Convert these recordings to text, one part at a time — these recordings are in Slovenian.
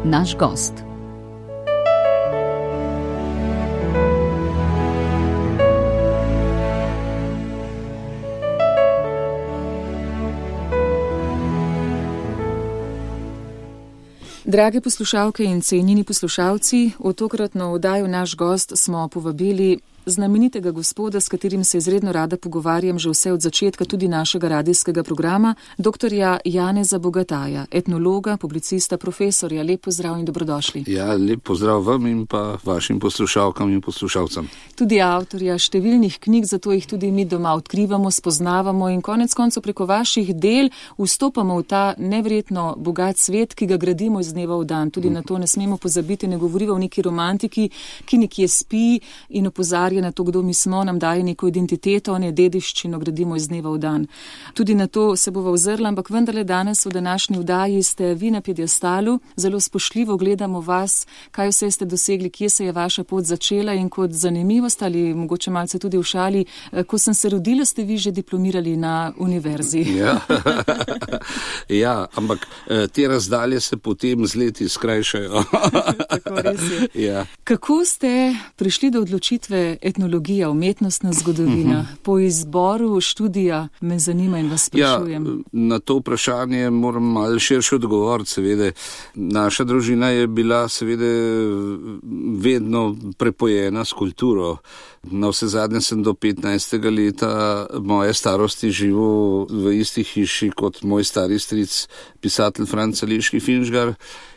naš gost. Drage poslušalke in cenjeni poslušalci, v tokratno oddajo Naš gost smo povabili znamenitega gospoda, s katerim se izredno rada pogovarjam že vse od začetka tudi našega radijskega programa, doktorja Janeza Bogataja, etnologa, publicista, profesorja. Lep pozdrav in dobrodošli. Ja, lep pozdrav vam in pa vašim poslušalkam in poslušalcem. Tudi avtorja številnih knjig, zato jih tudi mi doma odkrivamo, spoznavamo in konec koncev preko vaših del vstopamo v ta neverjetno bogat svet, ki ga gradimo iz dneva v dan. Tudi na to ne smemo pozabiti, ne govorimo o neki romantiki, ki nekje spi in opozarja na to, kdo mi smo, nam daje neko identiteto, ne dediščino, gradimo iz dneva v dan. Tudi na to se bova ozrla, ampak vendarle danes v današnji vdaji ste vi na piedestalu, zelo spoštljivo gledamo vas, kaj vse ste dosegli, kje se je vaša pot začela in kot zanimivost ali mogoče malce tudi v šali, ko sem se rodila, ste vi že diplomirali na univerzi. Ja, ampak te razdalje se potem z leti skrajšajo. Tako res je. Ja. Kako ste prišli do odločitve etnologija, umetnostna zgodovina? Po izboru študija me zanima in vas sprašujem. Ja, na to vprašanje moram malo širše odgovoriti, seveda. Naša družina je bila seveda vedno prepojena s kulturo. Na vse zadnje sem do 15. leta moje starosti živel v isti hiši kot moj stari stric, pisatelj Franc Eliški Finžgar,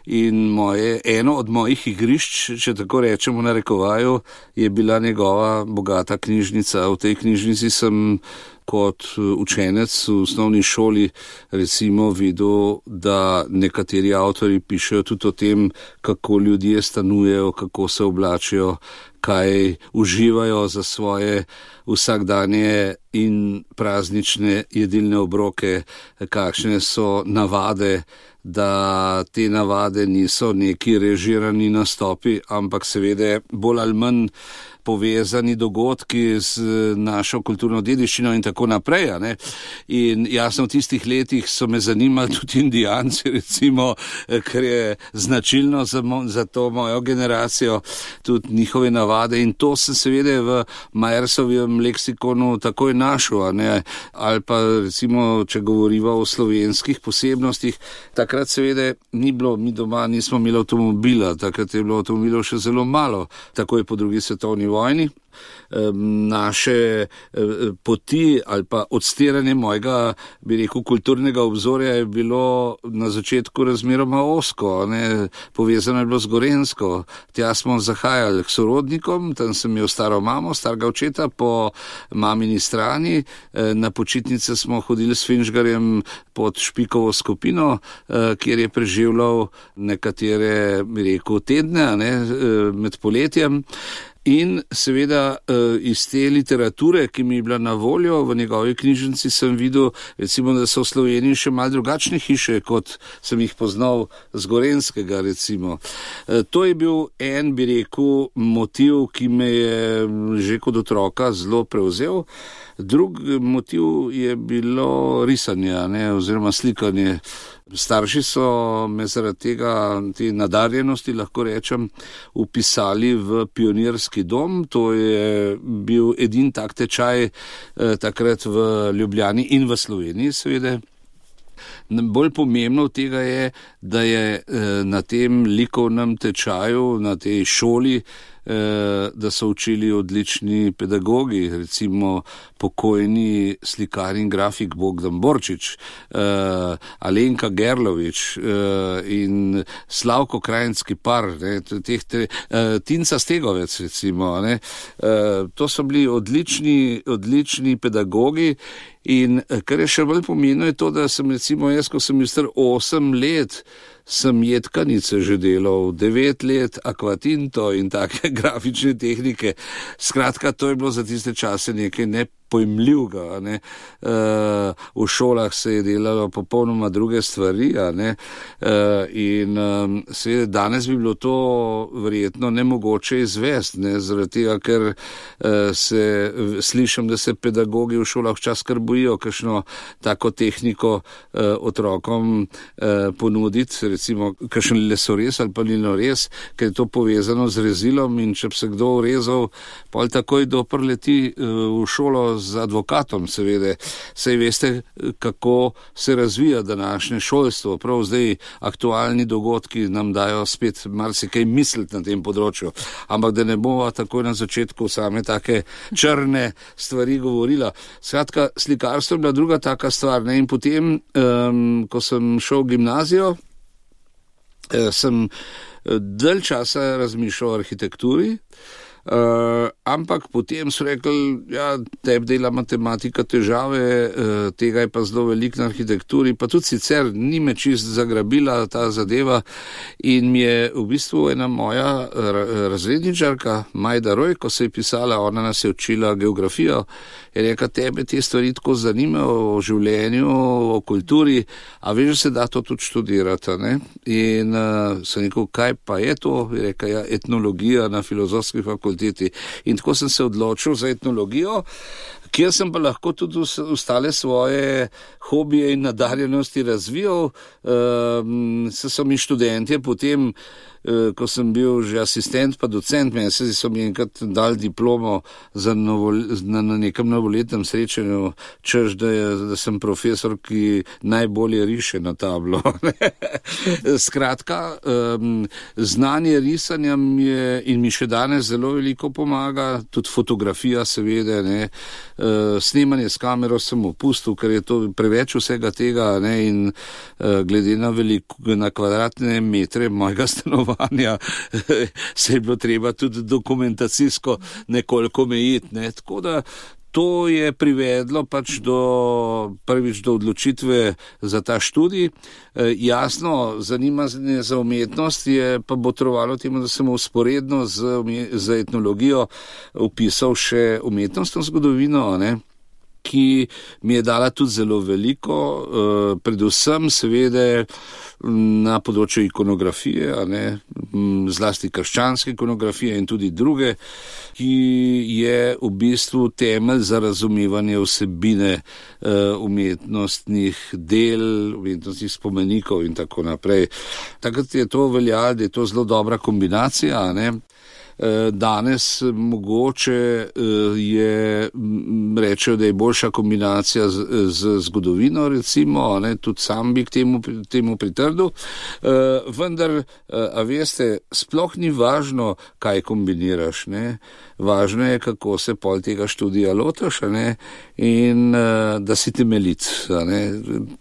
in eno od mojih igrišč, če tako rečemo na rekovaju, je bila njegova bogata knjižnica. V tej knjižnici sem kot učenec v osnovni šoli recimo videl, da nekateri avtori pišejo tudi o tem, kako ljudje stanujejo, kako se oblačijo, kaj uživajo za svoje vsakdanje in praznične jedilne obroke, kakšne so navade, da te navade niso neki režirani nastopi, ampak seveda bolj ali manj povezani dogodki z našo kulturno dediščino in tako naprej. Ne? In jasno, v tistih letih so me zanimali tudi Indijanci, recimo, ker je značilno za to mojo generacijo, tudi njihove navade, in to sem seveda v Majersovem leksikonu takoj našel, ne? Ali pa recimo, če govoriva o slovenskih posebnostih, takrat seveda ni bilo, mi doma nismo imeli avtomobila, takrat je bilo avtomobilov še zelo malo, takoj po drugi svetovni vojni. Naše poti ali pa odstiranje mojega, bi rekel, kulturnega obzorja je bilo na začetku razmeroma ozko, ne? Povezano je bilo z Gorenjsko. Tja smo zahajali k sorodnikom, tam sem imel staro mamo, starega očeta po mamini strani, na počitnice smo hodili s Finžgarjem pod Špikovo skupino, kjer je preživljal nekatere, bi rekel, tedne, ne? Med poletjem. In seveda iz te literature, ki mi je bila na voljo v njegovi knjižnici, sem videl, recimo, da so v Sloveniji še malo drugačne hiše, kot sem jih poznal z Gorenjskega, recimo. To je bil en, bi rekel, motiv, ki me je že kot otroka zelo prevzel. Drug motiv je bilo risanje, ne, oziroma slikanje. Starši so me zaradi tega, te nadarjenosti, lahko rečem, vpisali v pionirski dom. To je bil edini tak tečaj takrat v Ljubljani in v Sloveniji, seveda. Bolj pomembno od tega je, da je na tem likovnem tečaju, na tej šoli, da so učili odlični pedagogi, recimo pokojni slikar in grafik Bogdan Borčič, Alenka Gerlovič in Slavko Krajinski par, ne, Tinca Stegovec, recimo. Ne. To so bili odlični pedagogi. In kar je še bolj pomembno je to, da sem recimo jaz, ko sem bil star 8 let, sem jedkanice že delal, 9 let akvatinto in take grafične tehnike. Skratka, to je bilo za tiste čase nekaj pojmljivega. V šolah se je delalo popolnoma druge stvari. In seveda danes bi bilo to verjetno nemogoče izvesti, zaradi tega, ker slišim, da se pedagogi v šolah včasih kar bojijo kakšno tako tehniko otrokom ponuditi, recimo kakšen lesorez ali pa linorez, ker je to povezano z rezilom in če bi se kdo urezal, pol takoj doprleti v šolo z advokatom, seveda. Saj veste, kako se razvija današnje šolstvo. Prav zdaj aktualni dogodki nam dajo spet marsikaj misliti na tem področju. Ampak da ne bova takoj na začetku same take črne stvari govorila. Skratka, slikarstvo je bila druga taka stvar. In potem, ko sem šel v gimnazijo, sem dalj časa razmišljal o arhitekturi, ampak potem so rekli, ja, tebi dela matematika težave, tega je pa zelo veliko na arhitekturi, pa tudi sicer ni me čist zagrabila ta zadeva in mi je v bistvu ena moja razredničarka, Majda Roj, ko se je pisala, ona nas je učila geografijo, je rekla, tebe te stvari tako zanimajo o življenju, o kulturi, a veš, da se da to tudi študirati, ne? In sem rekel, kaj pa je to? Je rekla, ja, etnologija na filozofski fakulteti. In tako sem se odločil za etnologijo, kjer sem pa lahko tudi ostale svoje hobije in nadarjenosti razvijal. So mi študentje potem, ko sem bil že asistent pa docent, meni so mi enkrat dali diplomo na nekem novoletnem srečanju, češ, da sem profesor, ki najbolje riše na tablo. Skratka, znanje risanja mi še danes zelo veliko pomaga, tudi fotografija seveda, snemanje s kamero sem opustil, ker je to preveč vsega tega, in glede na kvadratne metre mojega stanovanja se je bilo treba tudi dokumentacijsko nekoliko omejiti. Tako da to je privedlo pač prvič do odločitve za ta študij. Jasno, zanimanje za umetnost je pa botrovalo temu, da sem vzporedno z etnologijo vpisal še umetnostno zgodovino, ki mi je dala tudi zelo veliko, predvsem seveda na področju ikonografije, zlasti krščanske ikonografije in tudi druge, ki je v bistvu temelj za razumevanje vsebine umetnostnih del, umetnostnih spomenikov in tako naprej. Takrat je to veljalo, da je to zelo dobra kombinacija, Danes mogoče rečejo, da je boljša kombinacija z zgodovino, recimo, tudi sam bi k temu pritrdil, vendar, a veste, sploh ni važno, kaj kombiniraš, Važno je, kako se pol tega študija lotaš, in da si temeljit.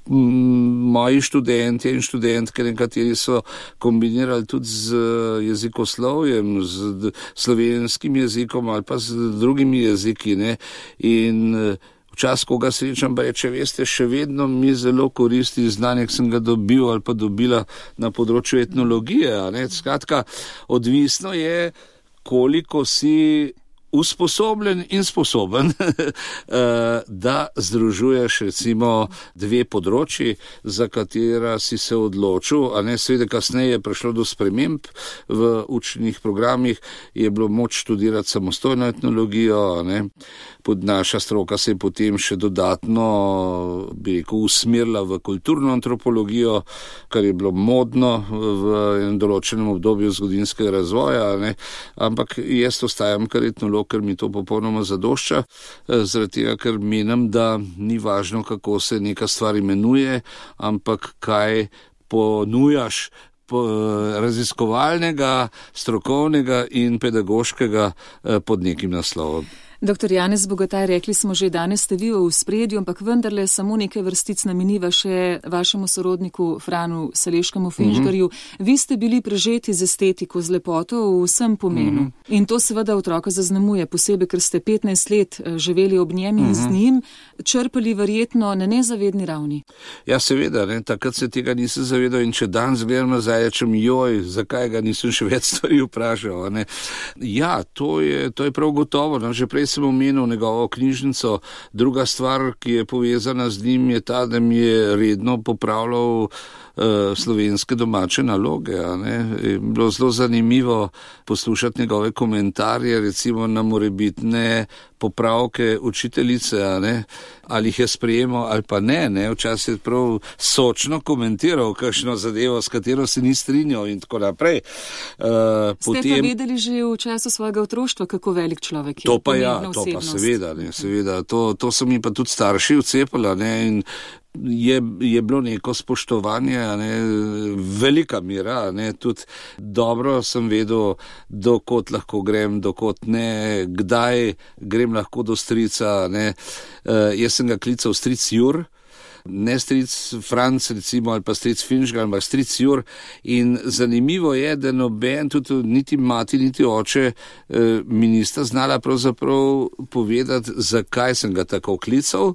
Moji študenti in študentke, nekateri so kombinirali tudi z jezikoslovjem, z slovenskim jezikom ali pa z drugimi jeziki, in včasih, ko ga srečam, pa reče, veste, še vedno mi zelo koristi znanje, ki sem ga dobil ali pa dobila na področju etnologije. Skratka, odvisno je, koliko si usposobljen in sposoben, da združuješ recimo dve področji, za katera si se odločil, seveda kasneje je prišlo do sprememb v učnih programih, je bilo moč študirati samostojno etnologijo, naša stroka se je potem še dodatno, bi rekel, usmerila v kulturno antropologijo, kar je bilo modno v enem določenem obdobju zgodovinskega razvoja, ampak jaz ostajam kar etnolog, ker mi to popolnoma zadošča, zaradi tega, ker menim, da ni važno, kako se neka stvar imenuje, ampak kaj ponujaš raziskovalnega, strokovnega in pedagoškega pod nekim naslovom. Dr. Janez Bogataj, rekli smo že, danes ste vi v ospredju, ampak vendarle samo nekaj vrstic nameniva še vašemu sorodniku Franu Saleškemu Finžgarju. Vi ste bili prežeti z estetiko, z lepoto v vsem pomenu. In to seveda otroka zaznamuje, posebej, ker ste 15 let živeli ob njem in z njim, črpali verjetno na nezavedni ravni. Ja, seveda, takrat se tega nisem zavedal in če danes gledam nazaj, rečem, zakaj ga nisem še več stvari vprašal. Ja, to je prav gotovo. Že prej sem omenil njegovo knjižnico. Druga stvar, ki je povezana z njim, je ta, da mi je redno popravljal slovenske domače naloge. Je bilo zelo zanimivo poslušati njegove komentarje, recimo na morebitne popravke učiteljice, ali jih je sprejemal ali pa ne. Včasih je prav sočno komentiral kakšno zadevo, s katero se ni strinjal in tako naprej. Ste pa vedeli že v času svojega otroštva, kako velik človek je? To pa seveda. To so mi pa tudi starši vcepali, in je bilo neko spoštovanje, velika mira, tudi dobro sem vedel, dokot lahko grem, dokot ne, kdaj grem lahko do strica, Jaz sem ga klical stric Jur, ne stric Franc recimo, ali pa stric Finžgar, ampak stric Jur, in zanimivo je, da noben, tudi niti mati, niti oče mi nista znala pravzaprav povedati, zakaj sem ga tako klical.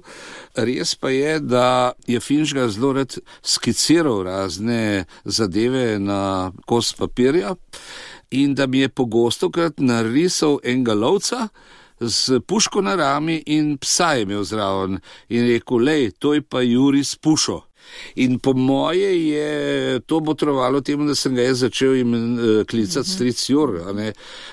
Res pa je, da je Finžgar zelo rad skiciral razne zadeve na kos papirja in da mi je pogostokrat narisal enega lovca z puško na rami in psa je imel zraven in rekel, lej, to je pa Juri s pušo. In po moje je to botrovalo temu, da sem ga jaz začel klicati stric Jur.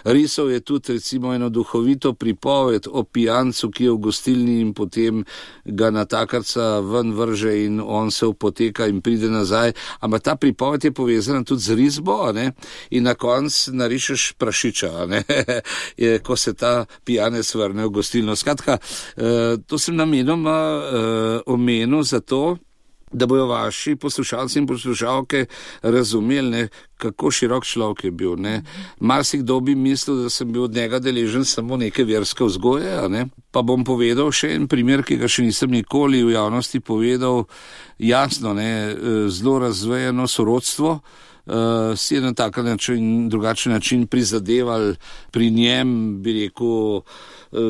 Risal je tudi recimo eno duhovito pripoved o pijancu, ki je v gostilni in potem ga natakarca ven vrže in on se upoteka in pride nazaj. Ampak ta pripoved je povezana tudi z risbo, in na koncu narišeš prašiča, ko se ta pijanec vrne v gostilno. Skratka, to sem namenoma omenil zato, da bojo vaši poslušalci in poslušalke razumeli, kako širok človek je bil. Marsikdo bi mislil, da sem bil od njega deležen samo neke verske vzgoje, pa bom povedal še en primer, ki ga še nisem nikoli v javnosti povedal. Jasno, zelo razvejeno sorodstvo, si je na tak način, drugačen način prizadeval pri njem, bi rekel,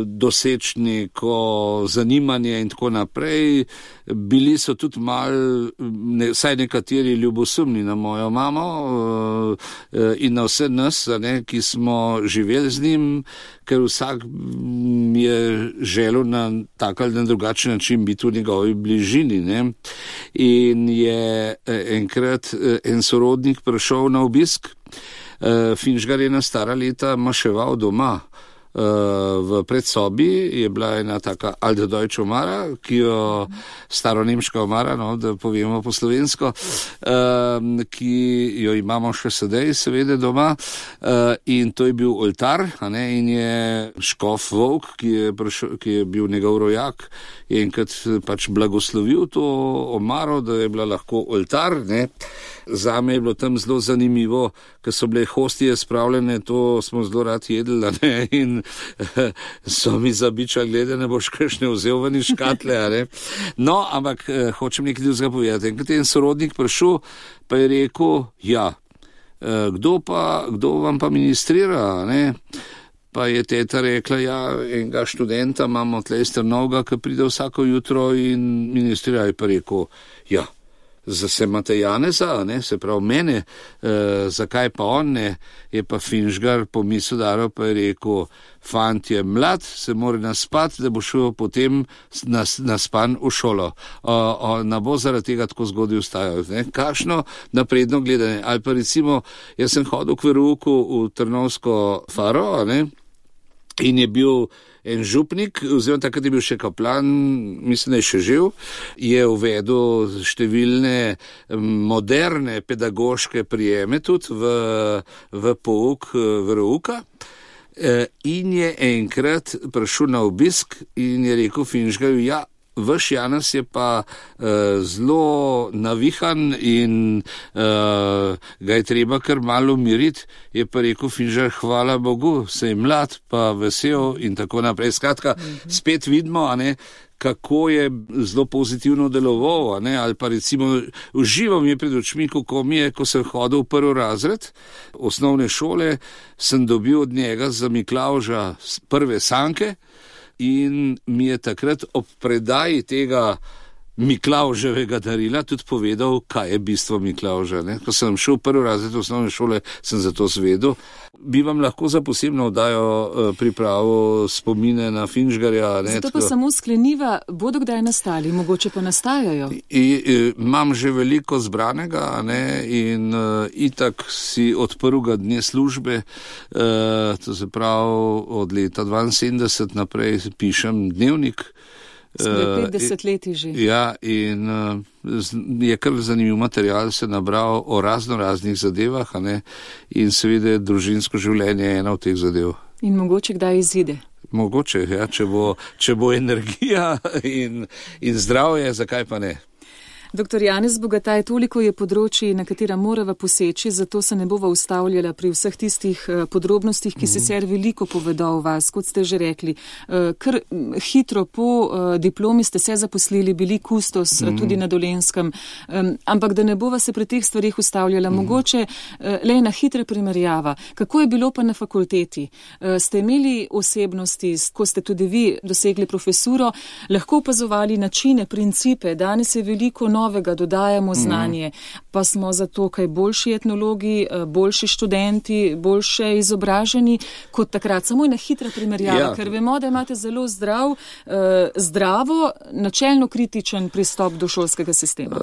doseči neko zanimanje in tako naprej. Bili so tudi vsaj nekateri ljubosumni na mojo mamo in na vse nas, ki smo živeli z njim, ker vsak je želel na tak ali na drugačen način biti v njegovi bližini. In je enkrat en sorodnik prišel na obisk. Finžgar je na stara leta maševal doma. V predsobi je bila ena taka alte deutsche omara, ki jo staronemška omara, da povemo po slovensko, ki jo imamo še sedaj seveda doma, in to je bil oltar, in je škof Volk, ki je bil njegov rojak, je enkrat pač blagoslovil to omaro, da je bila lahko oltar. Zame je bilo tam zelo zanimivo, ker so bile hostije spravljene, to smo zelo rad jedli, in so mi zabičali, glede, ne boš kakšne vzel ven iz škatle. No, ampak hočem nekaj drugega povedati. Enkrat je en sorodnik prišel, pa je rekel, kdo vam pa ministrira, Pa je teta rekla, enega študenta imamo tle iz Trnovega, ki pride vsako jutro in ministrira, je pa rekel, se imate Janeza, se pravi mene, zakaj pa on ne, je pa Finžgar pomislil daro, pa je rekel, fant je mlad, se mora naspati, da bo šel potem naspan v šolo. Ne bo zaradi tega tako zgodaj vstajal. Kakšno napredno gledanje. Ali pa recimo, jaz sem hodil k verouku v Trnovsko faro, in je bil en župnik, oziroma takrat je bil še kaplan, mislim, da je še živ, je uvedel številne moderne pedagoške prijeme tudi v pouk verouka, in je enkrat prišel na obisk in je rekel Finžgarju, vaš Janez je pa zelo navihan in ga je treba kar malo umiriti, je pa rekel Finžgar, hvala Bogu, se je mlad, pa vesel in tako naprej. Skratka, spet vidimo, kako je zelo pozitivno deloval, ali pa recimo uživam je pred očmi, kako mi je, ko sem hodil v prvi razred osnovne šole, sem dobil od njega za Miklavža prve sanke, in mi je takrat ob predaji tega Miklavževega darila tudi povedal, kaj je bistvo Miklavža. Ko sem šel prvi razred osnovne šole, sem za to zvedel. Bi vam lahko za posebno oddajo pripravo spomine na Finžgarja. Zato pa samo skleniva, bodo kdaj nastali, mogoče pa nastajajo? Imam že veliko zbranega in itak si od prvega dne službe, to se pravi od leta 72 naprej pišem dnevnik. Skoraj 50 leti že. Ja, in je kar zanimiv material se nabral o raznih zadevah, in seveda družinsko življenje je ena od teh zadev. In mogoče kdaj izide? Mogoče, ja, če bo energija in zdravje, zakaj pa ne? Dr. Janez Bogataj, toliko je področji, na katera morava poseči, zato se ne bova ustavljala pri vseh tistih podrobnostih, ki sicer veliko povedo o vas, kot ste že rekli. Kar hitro po diplomi ste se zaposlili, bili kustos tudi na Dolenjskem, ampak da ne bova se pri teh stvarih ustavljala, mogoče le na hitre primerjava. Kako je bilo pa na fakulteti? Ste imeli osebnosti, ko ste tudi vi dosegli profesuro, lahko opazovali načine, principe, danes je veliko novega, dodajamo znanje, pa smo zato kaj boljši etnologi, boljši študenti, boljše izobraženi kot takrat. Samo na hitra primerjava, ker vemo, da imate zelo zdravo, načelno kritičen pristop do šolskega sistema.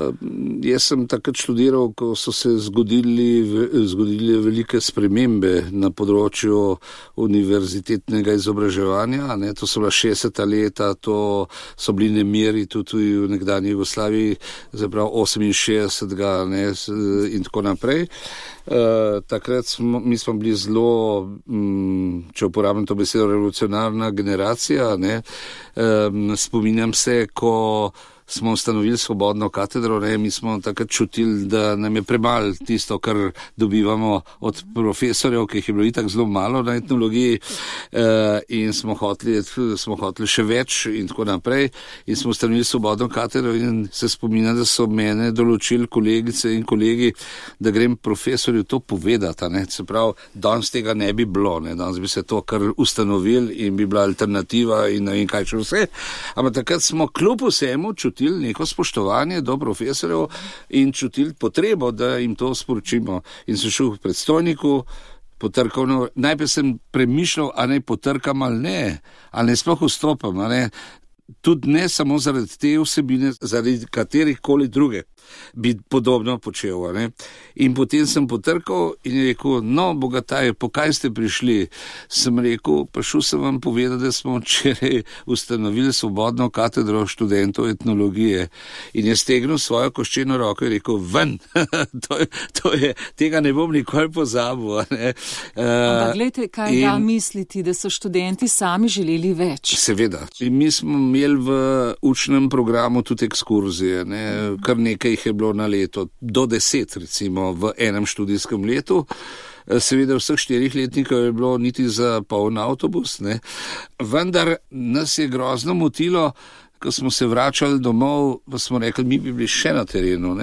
Jaz sem takrat študiral, ko so se zgodile velike spremembe na področju univerzitetnega izobraževanja. To so bila 60. leta, to so bili nemiri tudi v nekdanji Jugoslaviji, zapravo 68. In tako naprej. Takrat mi smo bili zelo, če uporabim to besedo, revolucionarna generacija. Spominjam se, ko smo ustanovili svobodno katedro, mi smo takrat čutili, da nam je premalo tisto, kar dobivamo od profesorjev, ki jih je bilo itak zelo malo na etnologiji, in smo hoteli še več in tako naprej. In smo ustanovili svobodno katedro in se spominjam, da so mene določili kolegice in kolegi, da grem profesorju to povedati. Se pravi, danes tega ne bi bilo, danes bi se to kar ustanovili in bi bila alternativa in ne vem kaj še vse. Ampak takrat smo kljub vsemu čutili neko spoštovanje do profesorjev in čutili potrebo, da jim to sporočimo. In sem šel k predstojniku, potrkal, najprej sem premišljal, a naj potrkam ali ne sploh vstopam, tudi ne samo zaradi te vsebine, zaradi katerihkoli druge bi podobno počel. In potem sem potrkal in je rekel, Bogataj, po kaj ste prišli? Sem rekel, prišel sem vam povedati, da smo včeraj ustanovili svobodno katedro študentov etnologije. In je stegnil svojo koščeno roko in rekel, ven, tega ne bom nikoli pozabil. Ampak glejte, kaj misliti, da so študenti sami želeli več? Seveda. In mi smo imeli v učnem programu tudi ekskurzije, kar nekaj je bilo na leto, do 10 recimo v enem študijskem letu. Seveda vseh 4 letnikov je bilo niti za poln avtobus, vendar nas je grozno motilo, ko smo se vračali domov, pa smo rekli, mi bi bili še na terenu.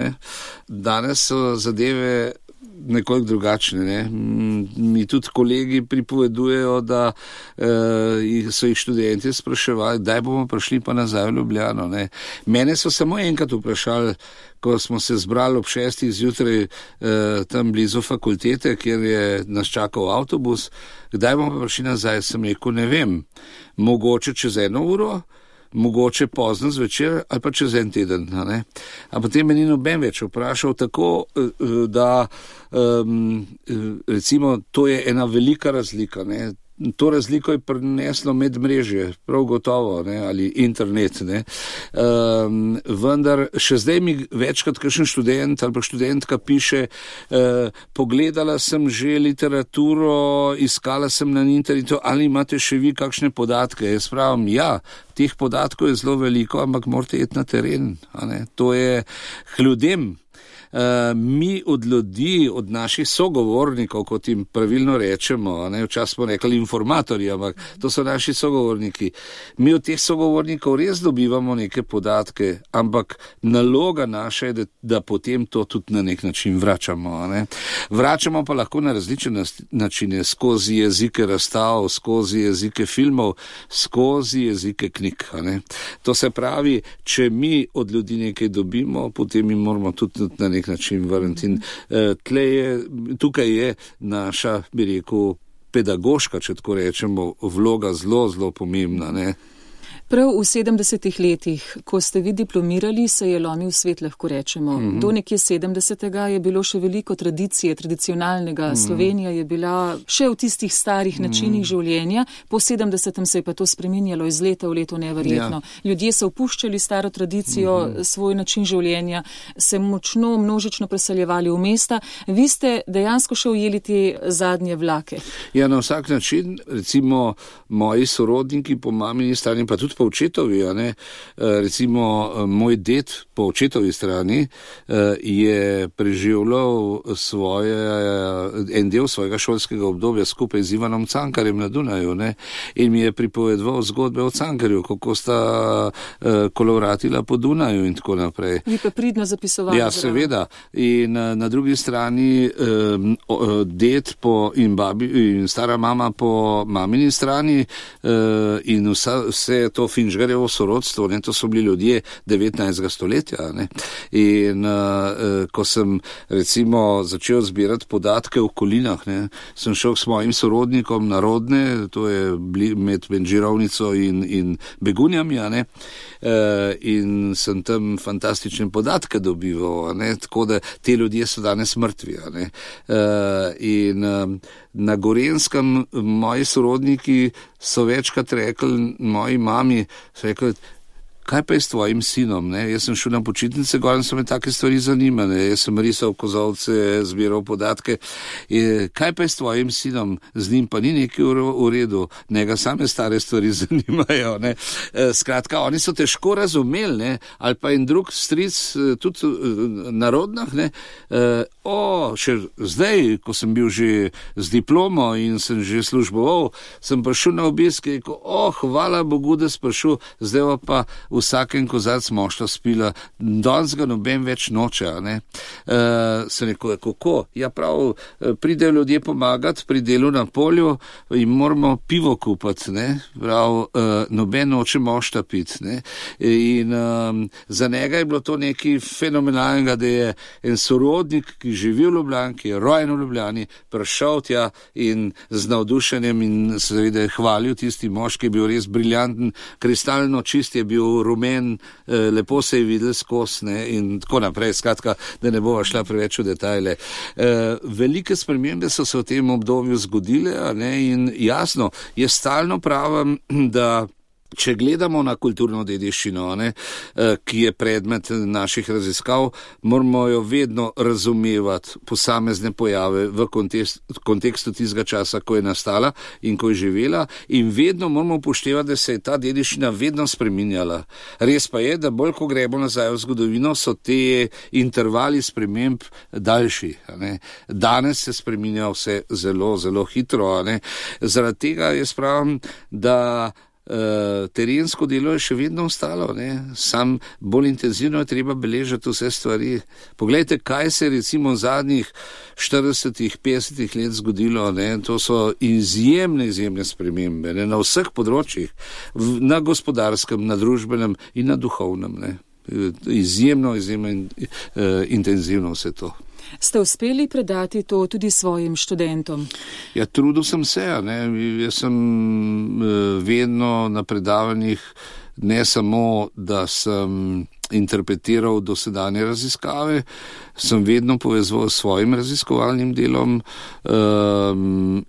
Danes so zadeve nekoliko drugačne. Mi tudi kolegi pripovedujejo, da so jih študenti spraševali, kdaj bomo prišli pa nazaj v Ljubljano. Mene so samo enkrat vprašali, ko smo se zbrali ob 6. zjutraj tam blizu fakultete, kjer je nas čakal avtobus, kdaj bomo prišli nazaj, sem rekel, ne vem, mogoče čez 1 uro, mogoče pozno zvečer ali pa čez 1 teden. A potem me ni noben več vprašal, tako da recimo to je ena velika razlika. To razliko je prineslo medmrežje, prav gotovo, ali internet. Vendar še zdaj mi večkrat kakšen študent ali pa študentka piše, pogledala sem že literaturo, iskala sem na internetu, ali imate še vi kakšne podatke. Jaz pravim, teh podatkov je zelo veliko, ampak morate iti na teren. To je k ljudem. mi od ljudi, od naših sogovornikov, kot jim pravilno rečemo, včasih smo rekli informatorji, ampak to so naši sogovorniki. Mi od teh sogovornikov res dobivamo neke podatke, ampak naloga naša je, da potem to tudi na nek način vračamo. Vračamo pa lahko na različne načine, skozi jezike razstav, skozi jezike filmov, skozi jezike knjig. To se pravi, če mi od ljudi nekaj dobimo, potem jim moramo tudi na nek način vrniti. In tukaj je naša, bi rekel, pedagoška, če tako rečemo, vloga zelo, zelo pomembna. Prav v 70. letih, ko ste vi diplomirali, se je lomil svet, lahko rečemo. Do nekje 70. je bilo še veliko tradicije, tradicionalnega. Slovenija je bila še v tistih starih načinih življenja. Po 70. se je pa to spreminjalo iz leta v leto neverjetno. Ja. Ljudje so opuščali staro tradicijo, svoj način življenja, se močno, množično preseljevali v mesta. Vi ste dejansko še ujeli te zadnje vlake. Ja, na vsak način, recimo moji sorodniki po mamini strani, pa tudi po očetovi, recimo moj ded po očetovi strani je preživljal en del svojega šolskega obdobja skupaj z Ivanom Cankarjem na Dunaju, in mi je pripovedoval zgodbe o Cankarju, kako sta kolovratila po Dunaju in tako naprej. Vi pa pridno zapisovali. Ja, seveda. In na drugi strani ded in stara mama po mamini strani in vse to Finžgarjevo sorodstvo, to so bili ljudje 19. stoletja. In ko sem recimo začel zbirati podatke o Kolinah, sem šel s mojim sorodnikom na Rodne, to je med Benžirovnico in Begunjami, in sem tam fantastične podatke dobival, tako da te ljudje so danes mrtvi. In na Gorenskem moji sorodniki so večkrat rekli moji mami, so rekli, kaj pa je s tvojim sinom? Jaz sem šel na počitnice gor in so me take stvari zanimale. Jaz sem risal kozolce, zbiral podatke. Kaj pa je s tvojim sinom? Z njim pa ni nekaj v redu. Njega same stare stvari zanimajo. Skratka, oni so težko razumeli, ali pa en drug stric, tudi na Rodnah, še zdaj, ko sem bil že z diplomo in sem že služboval, sem prišel na obisk in rekel, hvala Bogu, da sem prišel, zdaj pa vsaken kozarc mošta spila, danes ga noben več noče. Sem rekel, kako? Ja, prav, pridejo ljudje pomagati pri delu na polju in moramo pivo kupati, prav, noben noče mošta piti. In za njega je bilo to nekaj fenomenalnega, da je en sorodnik, ki živi v Ljubljani, ki je rojen v Ljubljani, prišel tja in z navdušenjem in seveda hvalil tisti mož, ki je bil res briljanten, kristalno čist je bil, rumen, lepo se je videl skozi in tako naprej, skratka, da ne bova šla preveč v detajle. Velike spremembe so se v tem obdobju zgodile, in jasno, jaz stalno pravim, da če gledamo na kulturno dediščino, ki je predmet naših raziskav, moramo jo vedno razumevati posamezne pojave v kontekstu tistega časa, ko je nastala in ko je živela, in vedno moramo upoštevati, da se je ta dediščina vedno spreminjala. Res pa je, da bolj ko gremo nazaj v zgodovino, so te intervali sprememb daljši. Danes se spreminja vse zelo, zelo hitro. Zaradi tega jaz pravim, da terensko delo je še vedno ostalo, sam bolj intenzivno je treba beležiti vse stvari. Poglejte, kaj se recimo v zadnjih 40-50 let zgodilo, to so izjemne spremembe, na vseh področjih, na gospodarskem, na družbenem in na duhovnem, izjemno intenzivno vse to. Ste uspeli predati to tudi svojim študentom? Ja, trudil sem se, jaz sem vedno na predavanjih, ne samo, da sem interpretiral dosedanje raziskave, sem vedno povezoval s svojim raziskovalnim delom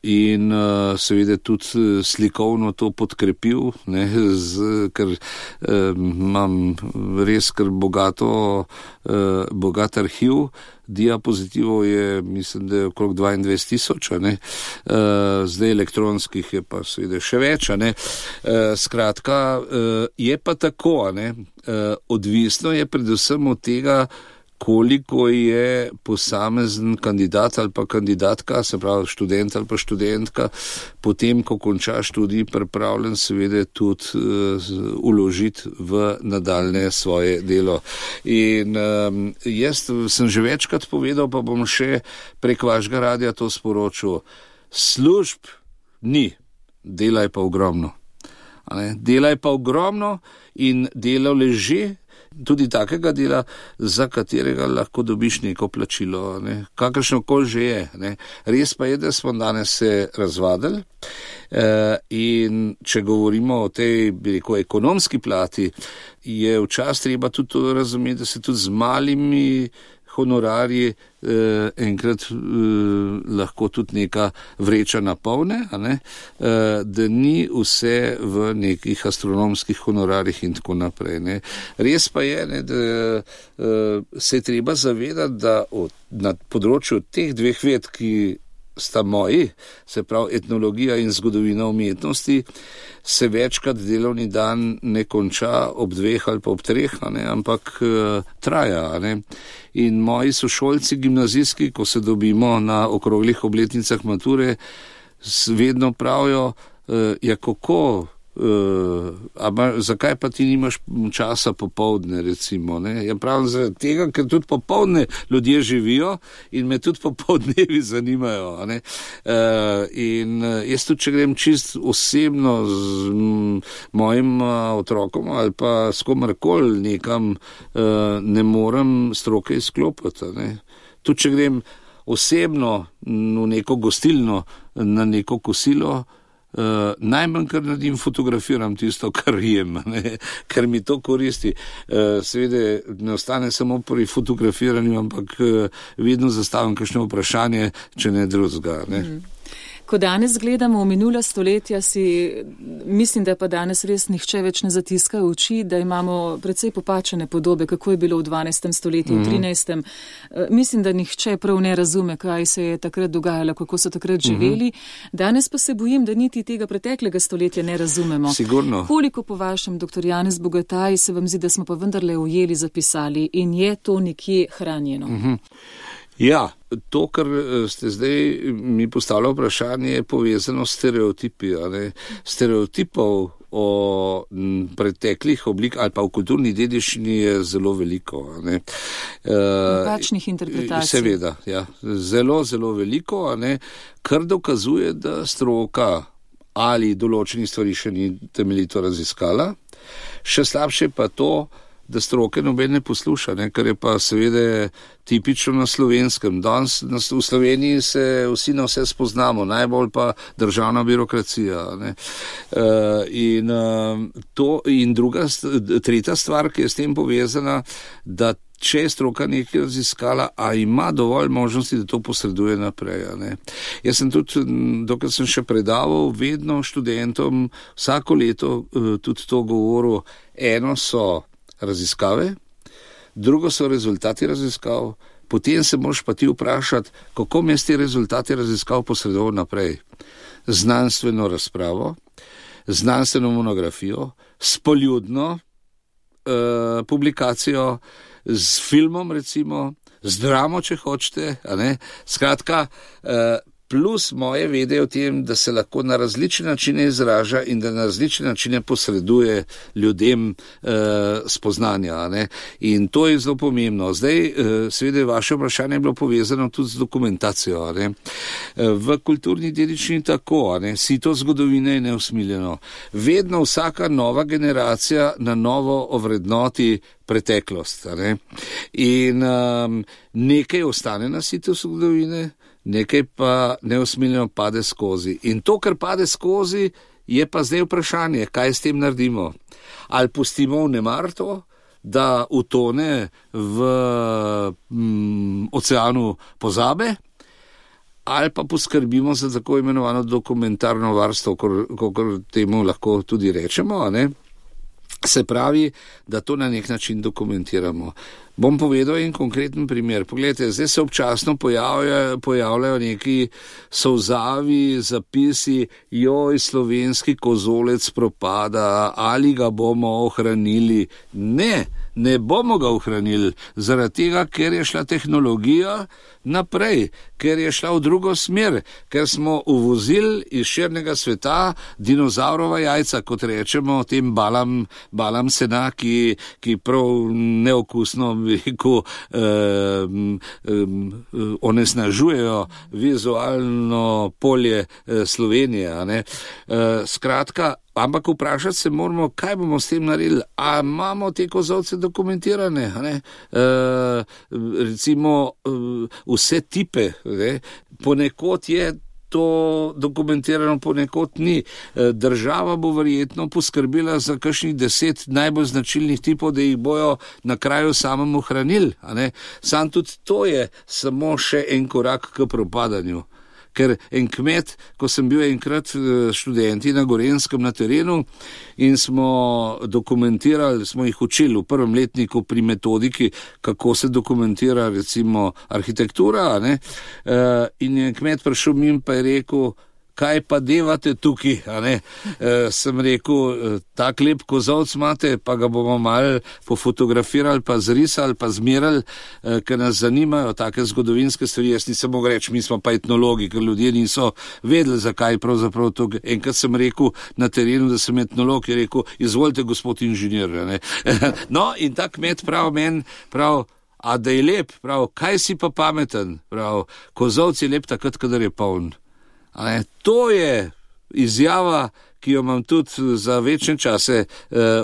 in seveda tudi slikovno to podkrepil, ker imam res kar bogat arhiv. Diapozitivov je, mislim, da je okrog 22,000, zdaj elektronskih je pa seveda še več, Skratka, je pa tako, odvisno je predvsem od tega, koliko je posamezen kandidat ali pa kandidatka, se pravi študent ali pa študentka, potem, ko konča študij, pripravljen seveda tudi vložiti v nadaljne svoje delo. In jaz sem že večkrat povedal, pa bom še prek vašega radia to sporočil. Služb ni, dela je pa ogromno. Dela je pa ogromno in delo leži, tudi takega dela, za katerega lahko dobiš neko plačilo, kakršno koli že je. Res pa je, da smo danes se razvadili in če govorimo o tej, bi rekel, ekonomski plati, je včasih treba tudi to razumeti, da se tudi z malimi honorarji enkrat lahko tudi neka vreča napolne, da ni vse v nekih astronomskih honorarjih in tako naprej. Res pa je, da se je treba zavedati, da na področju teh dveh ved, ki sta moji, se pravi etnologija in zgodovina umetnosti, se večkrat delovni dan ne konča ob 2 ali pa ob 3, ampak traja. In moji sošolci gimnazijski, ko se dobimo na okroglih obletnicah mature, vedno pravijo, kako, zakaj pa ti nimaš časa popoldne, recimo. Ja pravim zaradi tega, ker tudi popoldne ljudje živijo in me tudi popoldnevi zanimajo. In jaz tudi, če grem čist osebno z mojim otrokom ali pa s komarkoli nekam, ne morem stroke izklopiti. Tudi, če grem osebno v neko gostilno na neko kosilo, najmanj, kar naredim, fotografiram tisto, kar jem, ker mi to koristi. Seveda ne ostane samo pri fotografiranju, ampak vedno zastavim kakšno vprašanje, če ne drugega. Ko danes gledamo v minula stoletja, mislim, da pa danes res nihče več ne zatiska oči, da imamo precej popačene podobe, kako je bilo v 12. stoletju, v 13. Mislim, da nihče prav ne razume, kaj se je takrat dogajalo, kako so takrat živeli. Danes pa se bojim, da niti tega preteklega stoletja ne razumemo. Sigurno. Koliko po vašem, dr. Janez Bogataj, se vam zdi, da smo pa vendarle ujeli, zapisali in je to nekje hranjeno? Ja, to, kar ste zdaj mi postavili vprašanje, je povezano s stereotipi. Stereotipov o preteklih oblik ali pa v kulturni dediščini je zelo veliko. Napačnih interpretacij. Seveda, ja. Zelo, zelo veliko, kar dokazuje, da stroka ali določenih stvari še ni temeljito raziskala. Še slabše pa to, da stroke noben ne posluša, kar je pa seveda tipično na Slovenskem. Danes v Sloveniji se vsi na vse spoznamo, najbolj pa državna birokracija. In tretja stvar, ki je s tem povezana, da če je stroka nekaj raziskala, a ima dovolj možnosti, da to posreduje naprej. Jaz sem tudi, dokaj sem še predaval, vedno študentom vsako leto tudi to govoril. Eno so raziskave, drugo so rezultati raziskav, potem se moraš pa ti vprašati, kako me te rezultati raziskav posredoval naprej. Znanstveno razpravo, znanstveno monografijo, s poljudno publikacijo, z filmom recimo, z dramo, če hočete, skratka, plus moje vede o tem, da se lahko na različne načine izraža in da na različne načine posreduje ljudem spoznanja. In to je zelo pomembno. Zdaj, seveda, vaše vprašanje je bilo povezano tudi z dokumentacijo. V kulturni dediščini tako, sito zgodovine je neusmiljeno. Vedno vsaka nova generacija na novo ovrednoti preteklost. In nekaj ostane na sito zgodovine, nekaj pa neusmiljeno pade skozi. In to, kar pade skozi, je pa zdaj vprašanje, kaj s tem naredimo. Ali pustimo v nemar to, da utone v oceanu pozabe, ali pa poskrbimo za tako imenovano dokumentarno varstvo, kakor temu lahko tudi rečemo, Se pravi, da to na nek način dokumentiramo. Bom povedal en konkreten primer. Poglejte, zdaj se občasno pojavljajo neki solzavi zapisi, joj, slovenski kozolec propada, ali ga bomo ohranili. Ne bomo ga ohranili, zaradi tega, ker je šla tehnologija naprej, ker je šla v drugo smer, ker smo uvozili iz širnega sveta dinozaurova jajca, kot rečemo, tem balam sena, ki prav neokusno onesnažujejo vizualno polje Slovenije. Ne? Skratka, ampak vprašati se moramo, kaj bomo s tem naredili. A imamo te kozolce dokumentirane? Recimo vse tipe. Ne? Ponekod je to dokumentirano, ponekod ni. Država bo verjetno poskrbila za kakšnih 10 najbolj značilnih tipov, da jih bojo na kraju samem ohranili. Sam tudi to je samo še en korak k propadanju. Ker en kmet, ko sem bil enkrat študenti na Gorenskem na terenu in smo dokumentirali, smo jih učili v prvem letniku pri metodiki, kako se dokumentira recimo arhitektura, in je kmet prišel mimo pa je rekel, kaj pa devate tukaj, sem rekel, tak lep kozolc imate, pa ga bomo malo pofotografirali, pa zrisali, pa zmerali, ker nas zanimajo take zgodovinske stvari. Jaz nisem mogel reči, mi smo pa etnologi, ker ljudje niso vedeli, zakaj pravzaprav to. Enkrat sem rekel na terenu, da sem etnolog, je rekel, izvolite gospod inženir. No, in ta kmet prav, a da je lep, prav, kaj si pa pameten, prav, kozolc je lep takrat, kadar je poln. To je izjava, ki jo imam tudi za večne čase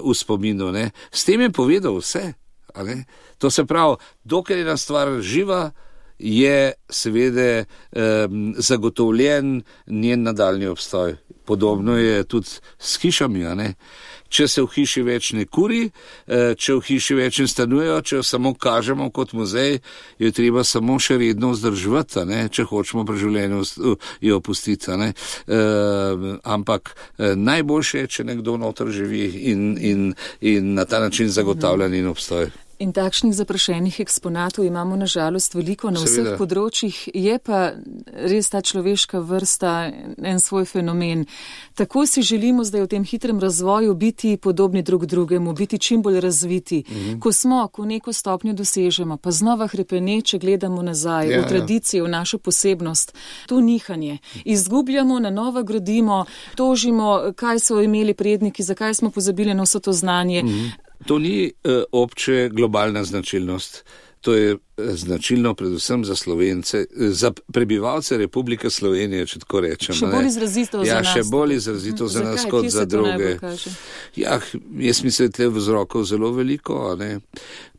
v spominu. S tem je povedal vse. To se pravi, dokler je ena stvar živa, je seveda zagotovljen njen nadaljni obstoj. Podobno je tudi s hišami. Če se v hiši več ne kuri, če v hiši več ne stanujejo, če jo samo kažemo kot muzej, jo je treba samo še redno vzdrževati, če hočemo pri življenju jo opustiti. Ampak najboljše je, če nekdo noter živi in na ta način zagotavlja njen obstoj. In takšnih zaprašenih eksponatov imamo nažalost veliko na vseh področjih, je pa res ta človeška vrsta en svoj fenomen. Tako si želimo zdaj v tem hitrem razvoju biti podobni drug drugemu, biti čim bolj razviti. Ko neko stopnjo dosežemo, pa znova hrepeneče gledamo nazaj, v tradicijo, v našo posebnost, to nihanje. Izgubljamo, na novo gradimo, tožimo, kaj so imeli predniki, zakaj smo pozabili na vso to znanje. To ni obče globalna značilnost. To je značilno predvsem za Slovence, za prebivalce Republike Slovenije, če tako rečem. Še bolj izrazito za nas. Še bolj izrazito za nas kot za druge. Jaz mislim, da je vzrokov zelo veliko.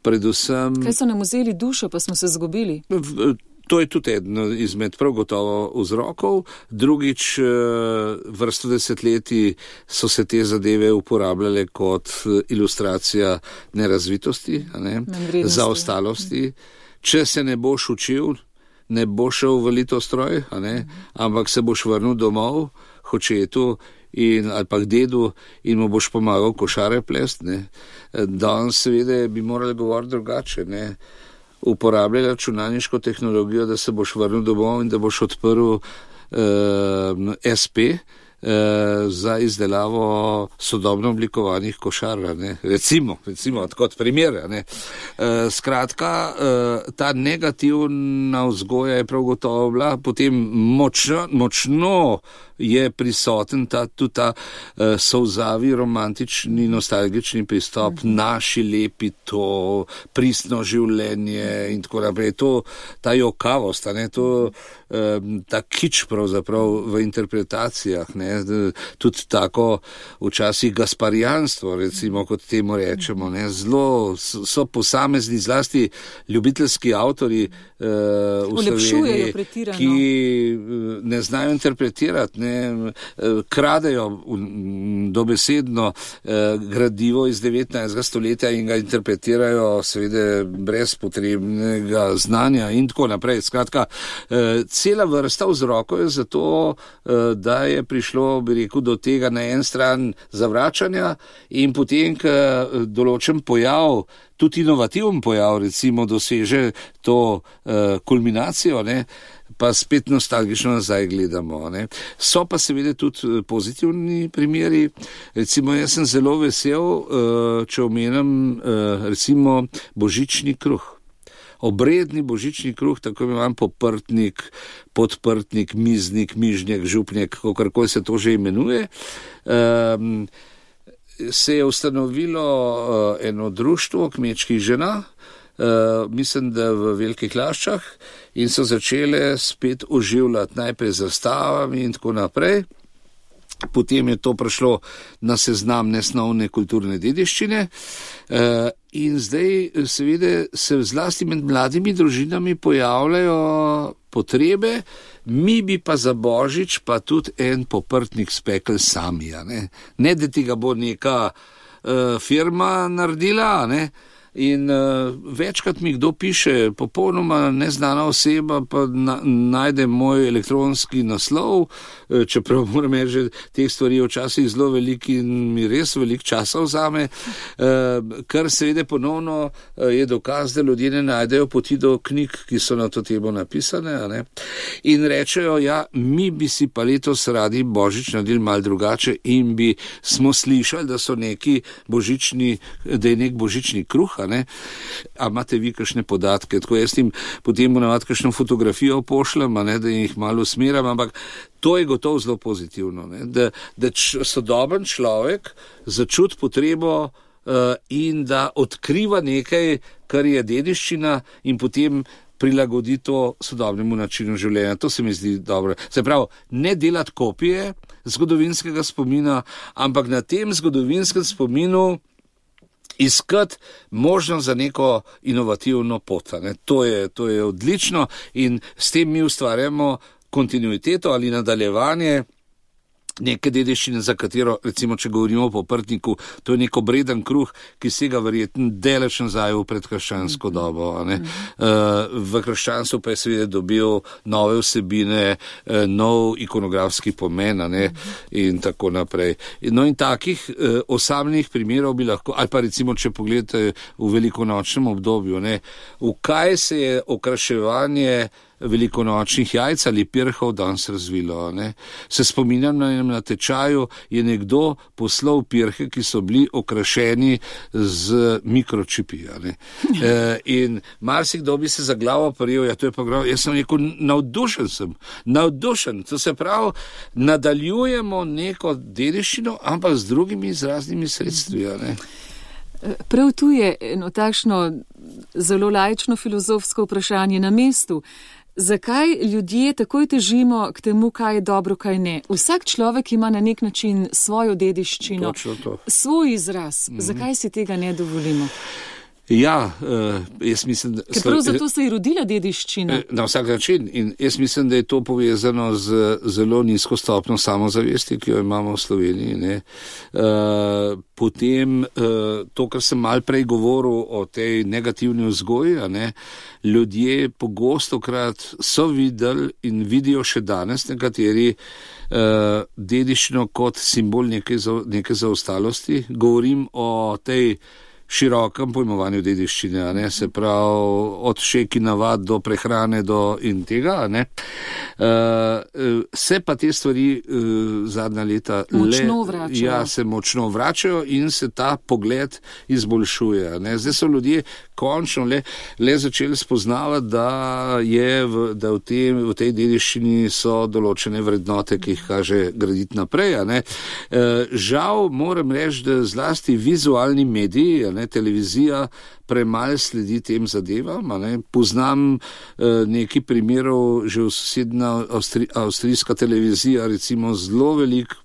Predvsem... Kaj so nam vzeli dušo, pa smo se zgubili? To je tudi eden izmed prav gotovo vzrokov. Drugič, vrsto desetletij so se te zadeve uporabljale kot ilustracija nerazvitosti, zaostalosti. Če se ne boš učil, ne boš šel v litostroj, ampak se boš vrnil domov, hočetu ali pa k dedu in mu boš pomagal košare plest. Danes seveda bi morali govoriti drugače, uporabljali računalniško tehnologijo, da se boš vrnil domov in da boš odprl SP za izdelavo sodobno oblikovanih košar. Recimo, kot primer. Skratka, ta negativna vzgoja je prav gotovo bila, potem močno je prisoten tudi ta solzavi, romantični, nostalgični pristop, naši lepi, to pristno življenje in tako naprej. Ta jokavost, ta kič pravzaprav v interpretacijah, tudi tako včasih gasparijanstvo, recimo, kot temu rečemo. Zelo so posamezni, zlasti ljubiteljski avtori v Sloveniji, ki ne znajo interpretirati. ne, kradejo dobesedno gradivo iz 19. stoletja in ga interpretirajo seveda brez potrebnega znanja in tako naprej. Skratka, cela vrsta vzrokov je zato, da je prišlo, bi rekel, do tega na en stran zavračanja in potem, ko določen pojav, tudi inovativen pojav, recimo, doseže to kulminacijo, ne, pa spet nostalgično nazaj gledamo. Ne. So pa seveda tudi pozitivni primeri. Recimo, jaz sem zelo vesel, če omenim recimo božični kruh. Obredni božični kruh, tako imam poprtnik, podprtnik, miznik, mižnjak, župnjak, kakorkoli se to že imenuje. Se je ustanovilo eno društvo kmečkih žena, mislim, da v Velikih Laščah, in so začele spet oživljati najprej zastavami in tako naprej. Potem je to prišlo na seznam nesnovne kulturne dediščine in zdaj seveda se zlasti med mladimi družinami pojavljajo potrebe, mi bi pa za božič pa tudi en poprtnik spekli sami. Ne, da tega bo neka firma naredila, ne. In večkrat mi kdo piše, popolnoma neznana oseba, pa najde moj elektronski naslov, čeprav moram reči, že teh stvari včasih zelo veliko in mi res veliko časa vzame, kar seveda ponovno je dokaz, da ljudje ne najdejo poti do knjig, ki so na to temo napisane, ne? In rečejo, ja, mi bi si pa letos radi božič naredili malo drugače in smo slišali, da so neki božični, da je nek božični kruh. A imate vi kakšne podatke? Tako jaz jim potem navad kakšno fotografijo pošljem, da jih malo usmeram, ampak to je gotovo zelo pozitivno, ne? Da sodoben človek začuti potrebo in da odkriva nekaj, kar je dediščina in potem prilagodi to sodobnemu načinu življenja. To se mi zdi dobro. Se pravi, ne delati kopije zgodovinskega spomina, ampak na tem zgodovinskem spominu iskati možnost za neko inovativno pot. To je odlično in s tem mi ustvarjamo kontinuiteto ali nadaljevanje neke dediščine, za katero, recimo, če govorimo o poprtniku, to je nek obreden kruh, ki sega verjetno daleč nazaj v predkrščansko dobo. V krščanstvu pa je seveda dobil nove vsebine, nov ikonografski pomen, in tako naprej. No in takih osamljenih primerov bi lahko, ali pa recimo, če pogledate v velikonočnem obdobju, v kaj se je okraševanje velikonočnih jajc ali pirhov danes razvilo. Se spominjam, na tečaju je nekdo poslal pirhe, ki so bili okrašeni z mikročipi. In marsikdo bi se za glavo prijel, to je pa glavo. Jaz sem rekel, navdušen. To se pravi, nadaljujemo neko dediščino, ampak z drugimi izraznimi sredstvi. Prav tu je eno takšno zelo laično filozofsko vprašanje na mestu. Zakaj ljudje takoj težimo k temu, kaj je dobro, kaj ne? Vsak človek ima na nek način svojo dediščino, svoj izraz. Zakaj si tega ne dovolimo? Ja, jaz mislim, da... Ker prav zato se je rodila dediščina. Na vsak način. In jaz mislim, da je to povezano z zelo nizko stopnjo samozavesti, ki jo imamo v Sloveniji. Potem to, kar sem malo prej govoril o tej negativni vzgoji, ljudje pogostokrat so videli in vidijo še danes nekateri dediščino kot simbol neke zaostalosti. Govorim o tej širokem pojmovanju dediščine, se pravi od šeki navad do prehrane do in tega. Se pa te stvari zadnja leta se močno vračajo in se ta pogled izboljšuje. Zdaj so ljudje končno le začeli spoznavati, da v tej dediščini so določene vrednote, ki jih kaže graditi naprej. Žal moram reči, da zlasti vizualni mediji, televizija premalo sledi tem zadevam. Poznam nekaj primerov, že v sosednja avstrijska televizija recimo zelo veliko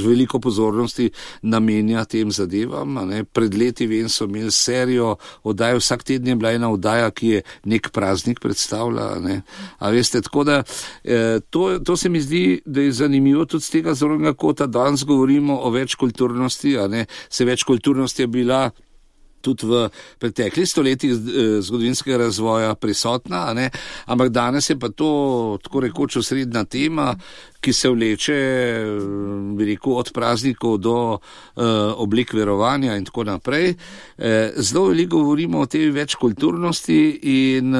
veliko pozornosti namenja tem zadevam. Pred leti vem, so imeli serijo oddaj, vsak teden je bila ena oddaja, ki je nek praznik predstavlja. A veste, tako da to se mi zdi, da je zanimivo tudi z tega zornega kota. Danes govorimo o večkulturnosti, se večkulturnost je bila tudi v preteklih stoletjih zgodovinskega razvoja prisotna, ampak danes je pa to tako rekoč osrednja tema, ki se vleče, bi rekel, od praznikov do oblik verovanja in tako naprej. Zelo veliko govorimo o tej večkulturnosti in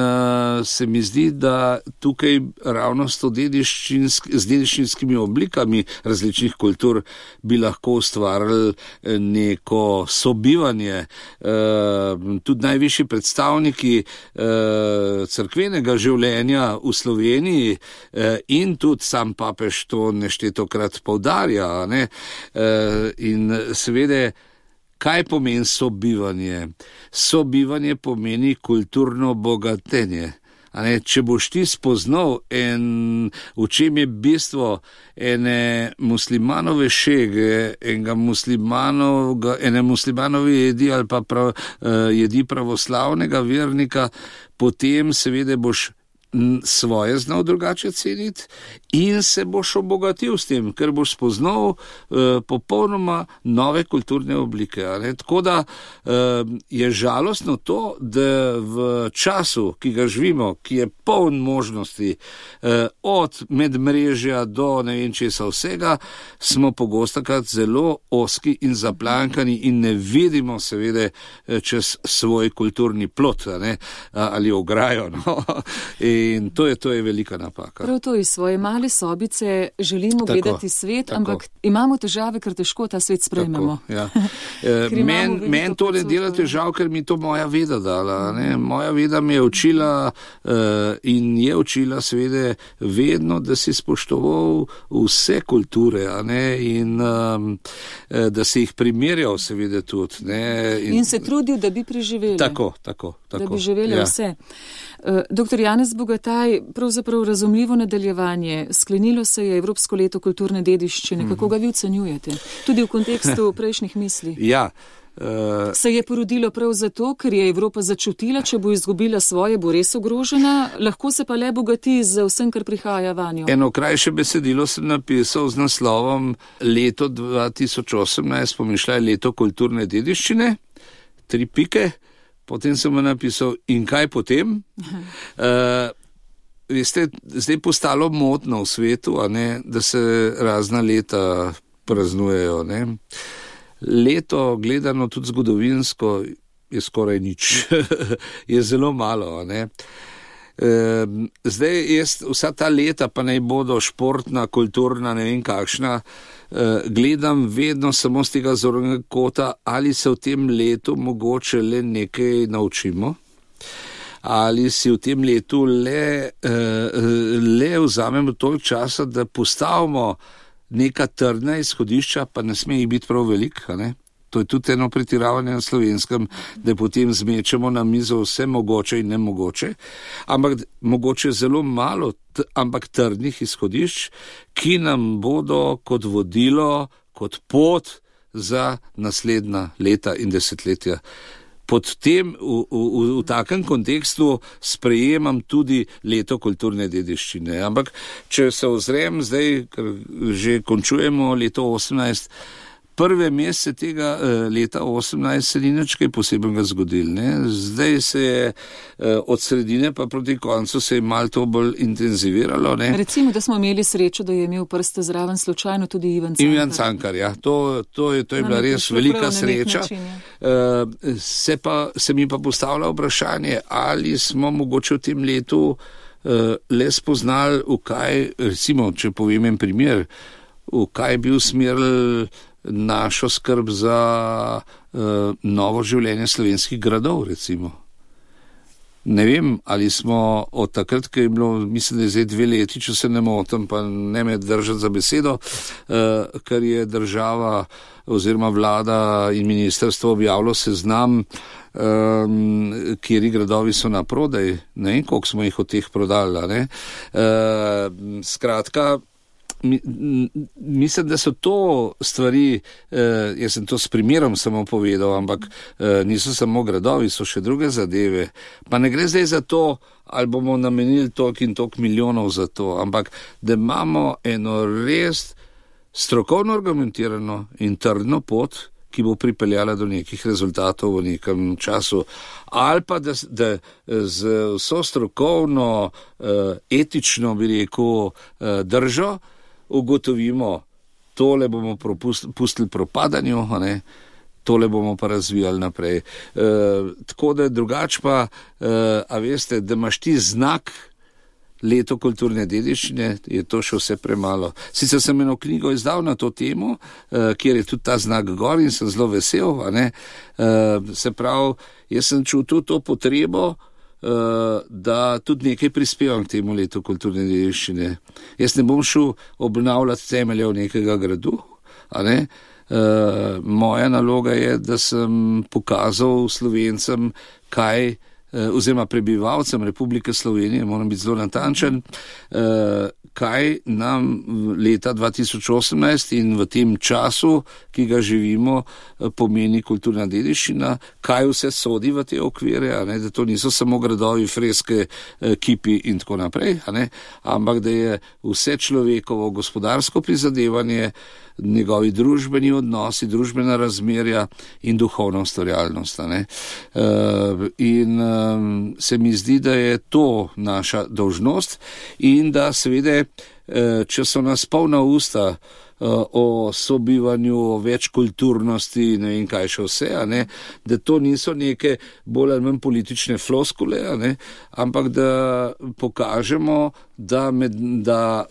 se mi zdi, da tukaj ravno z dediščinskimi oblikami različnih kultur bi lahko ustvarili neko sobivanje. Tudi najvišji predstavniki cerkvenega življenja v Sloveniji in tudi sam papež to neštetokrat poudarja. In seveda, kaj pomeni sobivanje? Sobivanje pomeni kulturno bogatenje. Če boš ti spoznal v čem je bistvo ene muslimanove šege, ene muslimanove jedi ali pa jedi pravoslavnega vernika, potem seveda boš svoje znal drugače ceniti in se boš obogatil s tem, ker boš spoznal popolnoma nove kulturne oblike. Tako da je žalostno to, da v času, ki ga živimo, ki je poln možnosti od medmrežja do ne vem česa vsega, smo pogostokrat zelo ozki in zaplankani in ne vidimo seveda čez svoj kulturni plot ali ograjo. In to je velika napaka. Prav to iz svoje male sobice želimo gledati svet, ampak imamo težave, ker težko ta svet sprejmemo. Ja. Meni to ne dela težav, ker mi to moja veda dala. Moja veda mi je učila in je učila seveda vedno, da si spoštoval vse kulture in da si jih primerjal seveda tudi. In se trudil, da bi preživeli. Tako. Da bi živeli vse. Dr. Janez Bogataj, pravzaprav razumljivo nadaljevanje. Sklenilo se je Evropsko leto kulturne dediščine. Kako ga vi ocenjujete? Tudi v kontekstu prejšnjih misli. Ja. Se je porodilo prav zato, ker je Evropa začutila, če bo izgubila svoje, bo res ogrožena, lahko se pa le bogati z vsem, kar prihaja vanjo. Eno krajše besedilo sem napisal z naslovom Leto 2018, pomišljaj leto kulturne dediščine, 3 pike. Potem sem napisal, in kaj potem? Veste, zdaj postalo modno v svetu, da se razna leta praznujejo. Leto, gledano tudi zgodovinsko, je skoraj nič. Je zelo malo. Zdaj vsa ta leta, pa naj bodo športna, kulturna, ne vem kakšna, gledam vedno samo z tega zornega kota, ali se v tem letu mogoče le nekaj naučimo, ali si v tem letu le vzamemo toliko časa, da postavimo neka trdna izhodišča, pa ne sme jih biti prav veliko. To je tudi eno pretiravanje na Slovenskem, da potem zmečemo na mizo vse mogoče in nemogoče, ampak mogoče zelo malo, ampak trdnih izhodišč, ki nam bodo kot vodilo, kot pot za naslednja leta in desetletja. Pod tem, v takem kontekstu sprejemam tudi leto kulturne dediščine. Ampak, če se ozrem zdaj, ker že končujemo leto 18, prve mesece tega leta 18 se ni nič kaj posebnega zgodil. Zdaj se je od sredine pa proti koncu se je malo to bolj intenziviralo. Recimo, da smo imeli srečo, da je imel prste zraven slučajno tudi Ivan Cankar. Ivan Cankar, ja. To je bila res velika sreča. Se mi pa postavlja vprašanje, ali smo mogoče v tem letu le spoznali, v kaj, recimo, če povem en primer, v kaj bi usmerili našo skrb za novo življenje slovenskih gradov, recimo. Ne vem, ali smo od takrat, ko je bilo, mislim, da je zdaj 2 leti, če se ne motim, pa ne me držati za besedo, ker je država oziroma vlada in ministrstvo objavilo seznam, kjeri gradovi so na prodaj, ne vem, koliko smo jih od teh prodali. Skratka, mislim, da so to stvari, jaz sem to s primerom samo povedal, ampak niso samo gradovi, so še druge zadeve. Pa ne gre zdaj za to, ali bomo namenili toliko in toliko milijonov za to, ampak da imamo eno res strokovno argumentirano in trdno pot, ki bo pripeljala do nekih rezultatov v nekem času, ali pa da z vso strokovno, etično, bi rekel, držo ugotovimo, tole bomo pustili propadanju, tole bomo pa razvijali naprej. Tako da drugače pa, a veste, da imaš ti znak leto kulturne dediščine, je to še vse premalo. Sicer sem eno knjigo izdal na to temo, kjer je tudi ta znak gor in sem zelo vesel, se pravi, jaz sem čutil to potrebo, da tudi nekaj prispevam k temu letu kulturne dediščine. Jaz ne bom šel obnavljati temeljev nekega gradu, moja naloga je, da sem pokazal Slovencem, kaj oziroma prebivalcem Republike Slovenije, moram biti zelo natančen, kaj nam leta 2018 in v tem času, ki ga živimo, pomeni kulturna dediščina, kaj vse sodi v te okvire, da to niso samo gradovi, freske, kipi in tako naprej, ampak da je vse človekovo gospodarsko prizadevanje, njegovi družbeni odnosi, družbena razmerja in duhovna ustvarjalnost. In se mi zdi, da je to naša dolžnost in da seveda, če so nas polna usta o sobivanju, o večkulturnosti, ne vem kaj še vse, da to niso neke bolj ali manj politične floskule, ampak da pokažemo, da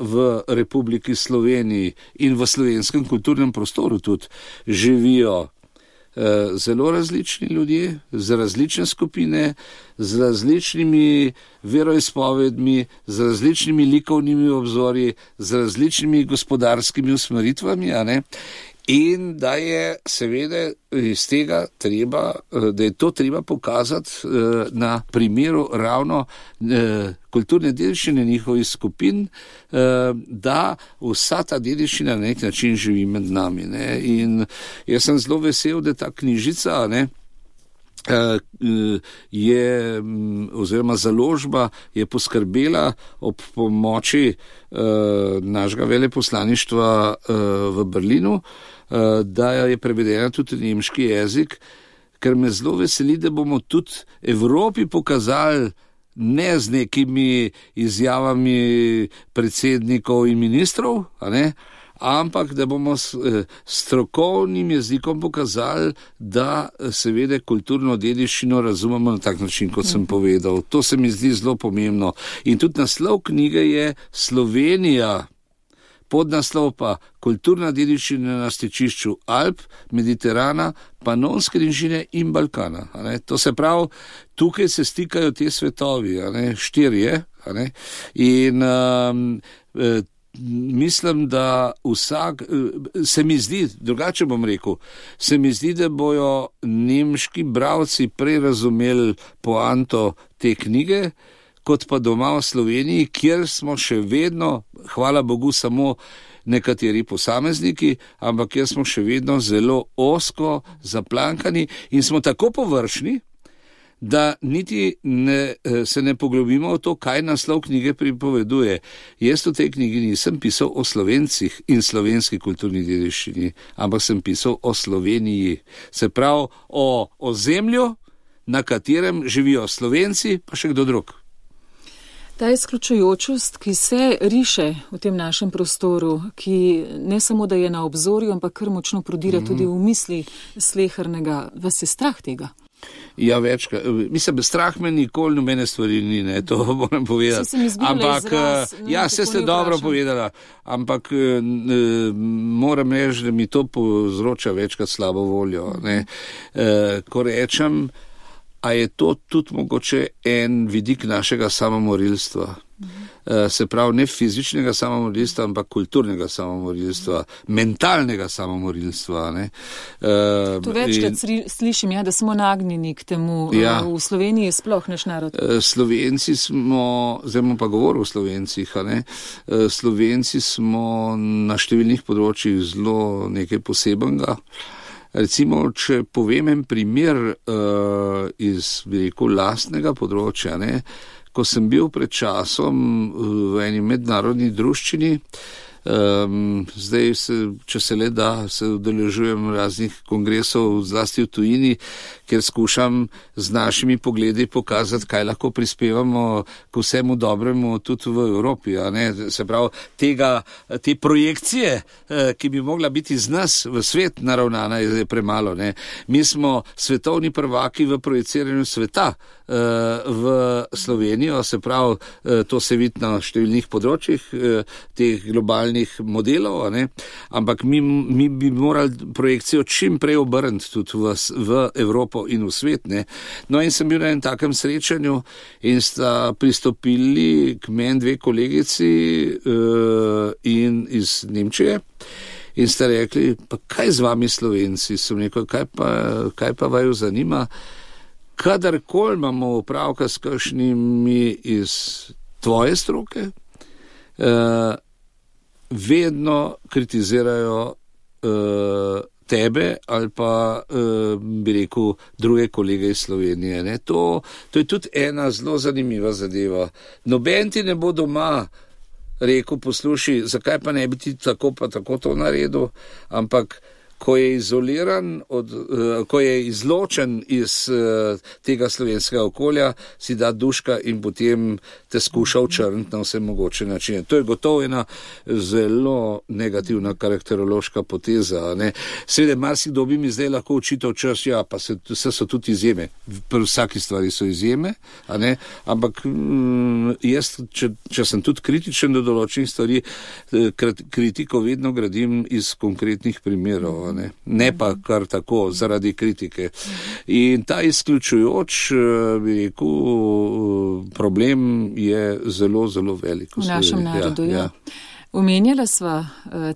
v Republiki Sloveniji in v slovenskem kulturnem prostoru tudi živijo zelo različni ljudje, z različne skupine, z različnimi veroizpovedmi, z različnimi likovnimi obzorji, z različnimi gospodarskimi usmeritvami, in da je seveda iz tega treba, da je to treba pokazati na primeru ravno kulturne dediščine njihovih skupin, da vsa ta dediščina na nek način živi med nami. In jaz sem zelo vesel, da ta knjižica je, oziroma založba je poskrbela ob pomoči našega veleposlaništva v Berlinu, da je prevedena tudi nemški jezik, ker me zelo veseli, da bomo tudi Evropi pokazali ne z nekimi izjavami predsednikov in ministrov, ampak da bomo s strokovnim jezikom pokazali, da seveda kulturno dediščino razumemo na tak način, kot sem povedal. To se mi zdi zelo pomembno. In tudi naslov knjige je Slovenija, podnaslov pa Kulturna dediščina na stičišču Alp, Mediterana, Panonske nižine in Balkana. To se pravi, tukaj se stikajo te svetovi, štirje, in mislim, da se mi zdi, drugače bom rekel, se mi zdi, da bojo nemški bralci prej razumeli poanto te knjige, kot pa doma v Sloveniji, kjer smo še vedno, hvala Bogu, samo nekateri posamezniki, ampak kjer smo še vedno zelo ozko zaplankani in smo tako površni, da niti se ne poglobimo v to, kaj naslov knjige pripoveduje. Jaz v tej knjigi nisem pisal o Slovencih in slovenski kulturni dediščini, ampak sem pisal o Sloveniji. Se pravi, o ozemlju, na katerem živijo Slovenci, pa še kdo drug. Ta izključujočost, ki se riše v tem našem prostoru, ki ne samo, da je na obzorju, ampak kar močno prodira tudi v misli slehernega, vas je strah tega? Ja, večkrat. Mislim, strah me nikoli nobene stvari ni, to moram povedati. Ampak, ja, se ste dobro povedala, ampak moram reči, da mi to povzroča večkrat slabo voljo. Ko rečem, a je to tudi mogoče en vidik našega samomorilstva. Se pravi, ne fizičnega samomorilstva, ampak kulturnega samomorilstva, mentalnega samomorilstva. Ne. To večkrat slišim, da smo nagnjeni k temu. V Sloveniji sploh naš narod. Slovenci smo, zdaj bom pa govoril o Slovencih, Slovenci smo na številnih področjih zelo nekaj posebenega. Recimo, če povem en primer iz, bi rekel, lastnega področja, ko sem bil pred časom v eni mednarodni druščini, zdaj, če se le da, se udeležujem raznih kongresov, zlasti v tujini, kjer skušam z našimi pogledi pokazati, kaj lahko prispevamo k vsemu dobremu tudi v Evropi. Se pravi, te projekcije, ki bi mogla biti z nas v svet naravnana, je premalo. Mi smo svetovni prvaki v projiciranju sveta v Slovenijo, se pravi, to se vidi na številnih področjih teh globalnih modelov, ampak mi bi morali projekcijo čim prej obrniti tudi v Evropo in v svet. No in sem bil na enem takem srečanju in sta pristopili k meni dve kolegici in iz Nemčije in sta rekli, pa kaj z vami Slovenci? Sem rekel, kaj pa vaju zanima? Kadarkoli imamo opravka s kakšnimi iz tvoje stroke, vedno kritizirajo tebe ali pa, bi rekel, druge kolege iz Slovenije. To je tudi ena zelo zanimiva zadeva. Noben ti ne bo doma rekel, poslušaj, zakaj pa ne bi ti tako pa tako to naredil, ampak ko je izoliran, ko je izločen iz tega slovenskega okolja, si da duška in potem te skuša očrniti na vse mogoče načine. To je gotovo ena zelo negativna karakterološka poteza. Seveda, marsikdo bi mi zdaj lahko očital čas, pa vse so tudi izjeme. Pri vsaki stvari so izjeme, ampak jaz, če sem tudi kritičen do določenih stvari, kritiko vedno gradim iz konkretnih primerov. Ne pa kar tako, zaradi kritike. In ta izključujoč, bi rekel, problem je zelo, zelo velik. V našem narodu, Omenjala sva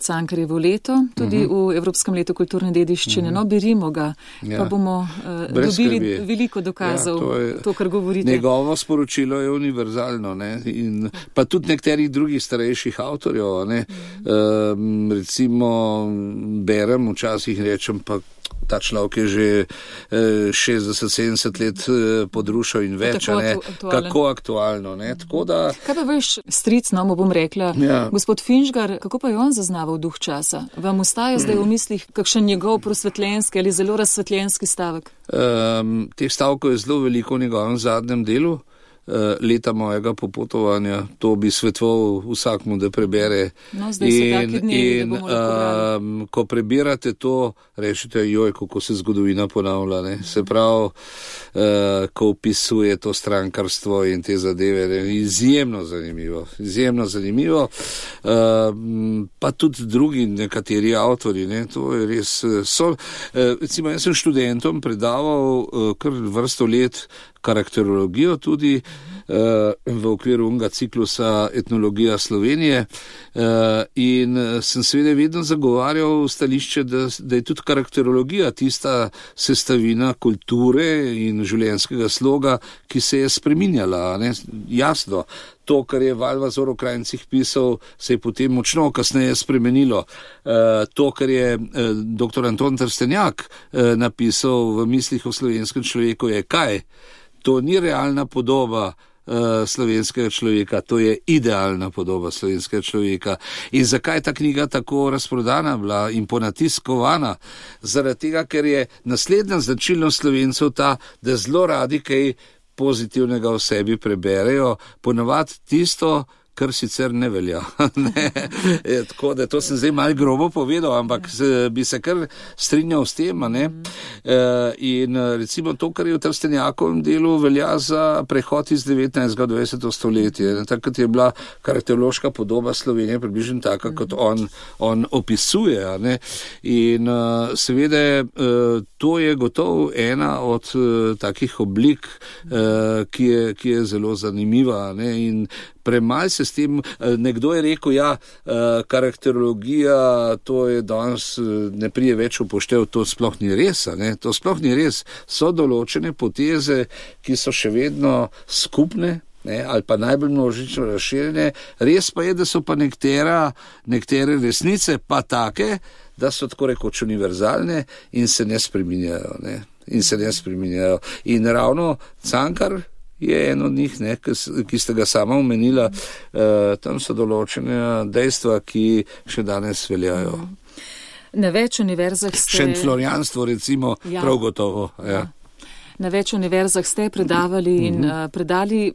Cankarjevo leto, tudi v Evropskem letu kulturne dediščine, berimo ga, pa bomo dobili veliko dokazov, to, kar govorite. Njegovo sporočilo je univerzalno, in pa tudi nekterih drugih starejših avtorjev, recimo berem, včasih rečem, pa ta človek je že 60-70 let podrušal in več, kako aktualno. Tako da... Kaj pa veš, stric, mu bom rekla, gospod Finžgar, kako pa je on zaznaval duh časa? Vam ustaja zdaj v mislih kakšen njegov prosvetljenski ali zelo razsvetljenski stavek? Teh stavkov je zelo veliko v njegovem zadnjem delu. Leta mojega popotovanja, to bi svetoval vsakmu, da prebere. No, zdaj so taki dnevi, da bomo lahko brali. Ko prebirate to, rečete, kako se zgodovina ponavlja. Se pravi, ko opisuje to strankarstvo in te zadeve, izjemno zanimivo. Pa tudi drugi nekateri avtori, to je res. Recimo, jaz sem študentom predaval kar vrsto let karakterologijo tudi v okviru unga ciklusa Etnologija Slovenije in sem seveda vedno zagovarjal stališče, da je tudi karakterologija tista sestavina kulture in življenjskega sloga, ki se je spreminjala. Jasno, to, kar je Valvazor o Krajncih pisal, se je potem močno kasneje spremenilo. To, kar je dr. Anton Trstenjak napisal v mislih o slovenskem človeku, je kaj? To ni realna podoba slovenskega človeka, to je idealna podoba slovenskega človeka. In zakaj ta knjiga tako razprodana bila in ponatiskovana? Zaradi tega, ker je naslednja značilnost Slovencev ta, da zelo radi kaj pozitivnega v sebi preberejo, ponavadi tisto, kar sicer ne velja. Tako da to sem zdaj malo grobo povedal, ampak bi se kar strinjal s tem. In recimo to, kar je v Trstenjakovem delu, velja za prehod iz 19. v 20. stoletje. Takrat je bila karakterološka podoba Slovenije približno taka, kot on opisuje. In seveda to je gotovo ena od takih oblik, ki je zelo zanimiva. In Premalj se s tem, nekdo je rekel, karakterologija, to je danes ne prije več upoštev, to sploh ni res, ne? To sploh ni res. So določene poteze, ki so še vedno skupne, ne, ali pa najbolj množično razširjene. Res pa je, da so pa nekatere resnice pa take, da so tako rekoč univerzalne in se ne spreminjajo. Ne. In ravno Cankar je eno od njih, ne, ki ste ga sama omenila, tam so določene dejstva, ki še danes veljajo. Na več univerzah ste... Šentflorjanstvo recimo, prav gotovo, ja. Na več univerzah ste predavali in predali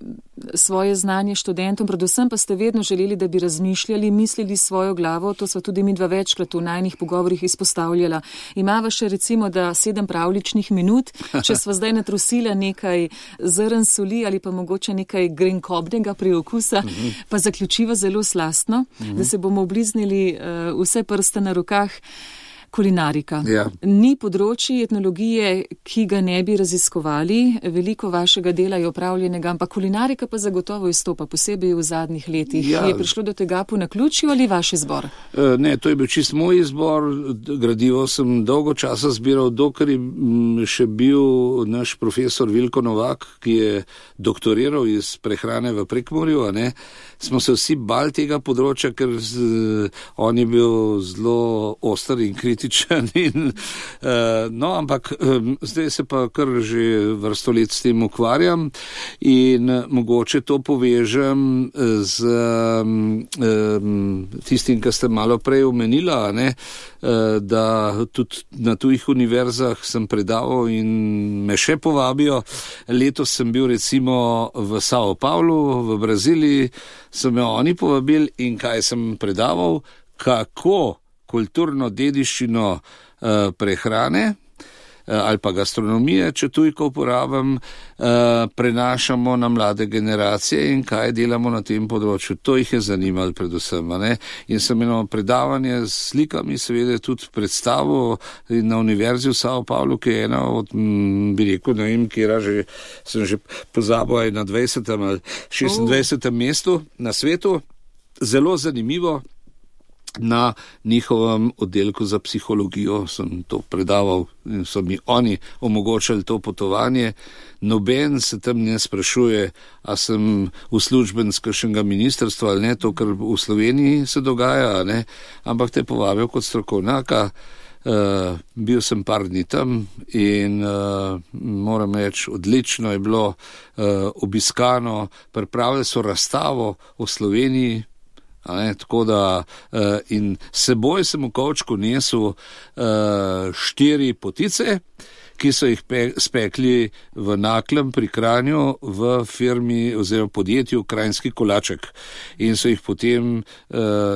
svoje znanje študentom, predvsem pa ste vedno želeli, da bi razmišljali, mislili svojo glavo, to sva tudi midva večkrat v najnih pogovorih izpostavljala. Imava še recimo, da 7 pravličnih minut, če sva zdaj natrusila nekaj zrn soli ali pa mogoče nekaj grenkobnega priokusa, pa zaključiva zelo slastno, da se bomo obliznili vse prste na rokah. Kulinarika. Ja. Ni področji etnologije, ki ga ne bi raziskovali, veliko vašega dela je opravljenega, ampak kulinarika pa zagotovo izstopa, posebej v zadnjih letih. Ja. Je prišlo do tega po naključju ali vaš izbor? Ne, to je bil čist moj izbor, gradivo sem dolgo časa zbiral, dokler je še bil naš profesor Vilko Novak, ki je doktoriral iz prehrane v Prekmurju, ne? Smo se vsi bali tega področja, ker on je bil zelo oster in kritičen. Ampak zdaj se pa kar že vrsto let s tem ukvarjam in mogoče to povežem z tistim, kar ste malo prej omenila, ne? Da tudi na tujih univerzah sem predaval in me še povabijo. Letos sem bil recimo v Sao Paulu v Braziliji, so me oni povabili in kaj sem predaval, kako kulturno dediščino prehrane ali pa gastronomije, če tujko uporabim, prenašamo na mlade generacije in kaj delamo na tem področju. To jih je zanimalo predvsem. Ne? In sem eno predavanje s slikami seveda tudi predstavil na Univerzi v Sao Paulu, ki je ena od, bi rekel, ne vem, kjera že, sem že pozabil, na 20. ali 26. mestu na svetu. Zelo zanimivo. Na njihovem oddelku za psihologijo sem to predaval in so mi oni omogočali to potovanje. Noben se tam ne sprašuje, a sem uslužbenec kakšnega ministrstva ali ne, to, kar v Sloveniji se dogaja, ne, ampak te povabijo kot strokovnjaka. Bil sem par dni tam in moram reči, odlično je bilo obiskano, pripravili so razstavo o Sloveniji. Tako da in seboj sem v kovčku nesel 4 potice, ki so jih spekli v Naklem pri Kranju v firmi oziroma podjetju Kranjski kolaček. In so jih potem,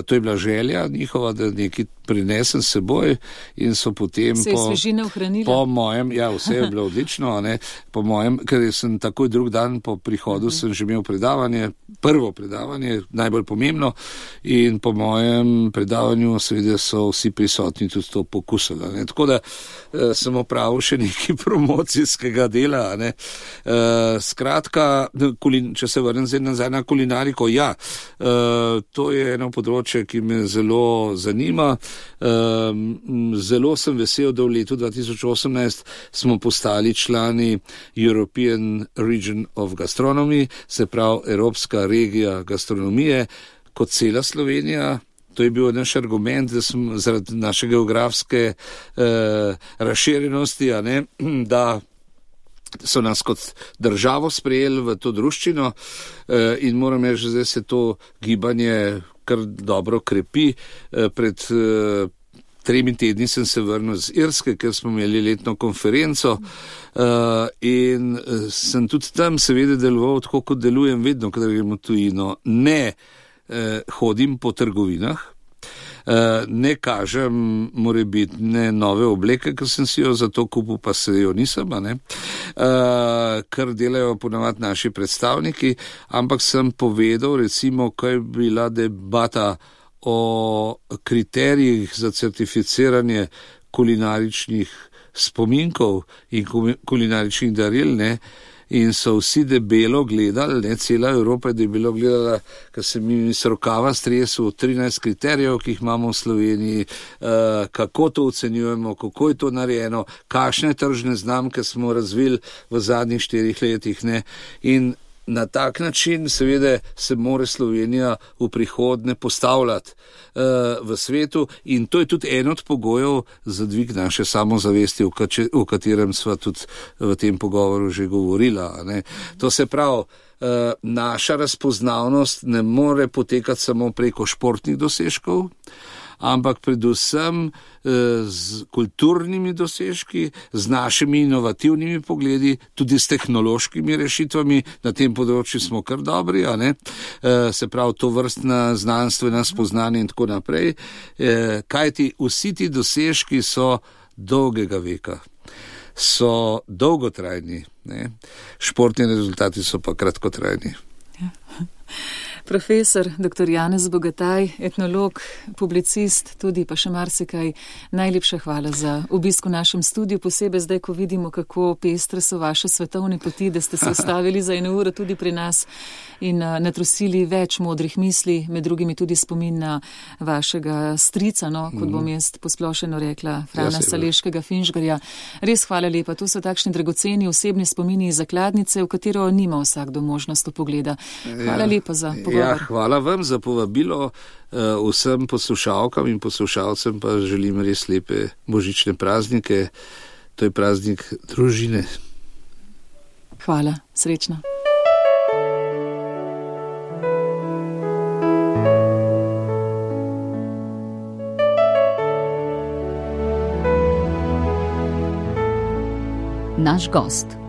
to je bila želja njihova, da nekaj prinesem s seboj in so potem se je svežina ohranila. Po mojem, vse je bilo odlično, ne, po mojem, ker sem takoj drug dan po prihodu sem že imel predavanje, prvo predavanje, najbolj pomembno, in po mojem predavanju seveda so vsi prisotni tudi to pokusili. Ne. Tako da sem opravil še nekaj promocijskega dela. Ne. Skratka, če se vrnem zdaj nazaj na kulinariko, to je eno področje, ki me zelo zanima. Zelo sem vesel, da v letu 2018 smo postali člani European Region of Gastronomy, se pravi Evropska regija gastronomije, kot cela Slovenija. To je bil naš argument, da smo zaradi naše geografske razširjenosti, da so nas kot državo sprejeli v to druščino in moram reči, da zdaj se to gibanje kar dobro krepi. Pred 3 tedni sem se vrnil z Irske, ker smo imeli letno konferenco in sem tudi tam seveda deloval tako, kot delujem vedno, kadar gremo v tujino. Ne hodim po trgovinah, ne kažem morebitne nove obleke, ker sem si jo za to kupil, pa se jo nisem, kar delajo ponavadi naši predstavniki, ampak sem povedal recimo, kaj je bila debata o kriterijih za certificiranje kulinaričnih spominkov in kulinaričnih daril, ne. in so vsi debelo gledali, ne cela Evropa je debelo gledala, ker se mi iz rokava stresu 13 kriterijev, ki jih imamo v Sloveniji, kako to ocenjujemo, kako je to narejeno, kakšne tržne znamke smo razvili v zadnjih 4 letih, ne, in na tak način seveda se mora Slovenija v prihodnje postavljati v svetu in to je tudi en od pogojev za dvig naše samozavesti, o katerem sva tudi v tem pogovoru že govorila. Ne. To se pravi, naša razpoznavnost ne more potekati samo preko športnih dosežkov, ampak predvsem z kulturnimi dosežki, z našimi inovativnimi pogledi, tudi s tehnološkimi rešitvami, na tem področju smo kar dobri, a ne? Se pravi to vrstna znanstvena spoznanja in tako naprej, kajti vsi ti dosežki so dolgega veka, so dolgotrajni, ne? Športni rezultati so pa kratkotrajni. Ja. Profesor dr. Janez Bogataj, etnolog, publicist, tudi pa še marsikaj, najlepša hvala za obisk v našem studiu, posebej zdaj, ko vidimo, kako pestre so vaše svetovne poti, da ste se ustavili za 1 uro tudi pri nas in natrosili več modrih misli, med drugimi tudi spomin na vašega strica, no, kot bom jaz posplošeno rekla, Frana Saleškega Finžgarja. Res hvala lepa, to so takšni dragoceni osebni spomini iz zakladnice, v katero nima vsakdo možnost pogleda. Hvala lepa za pogovor. Ja, hvala vam za povabilo, vsem poslušalkam in poslušalcem pa želim res lepe božične praznike, to je praznik družine. Hvala, srečno. Naš gost.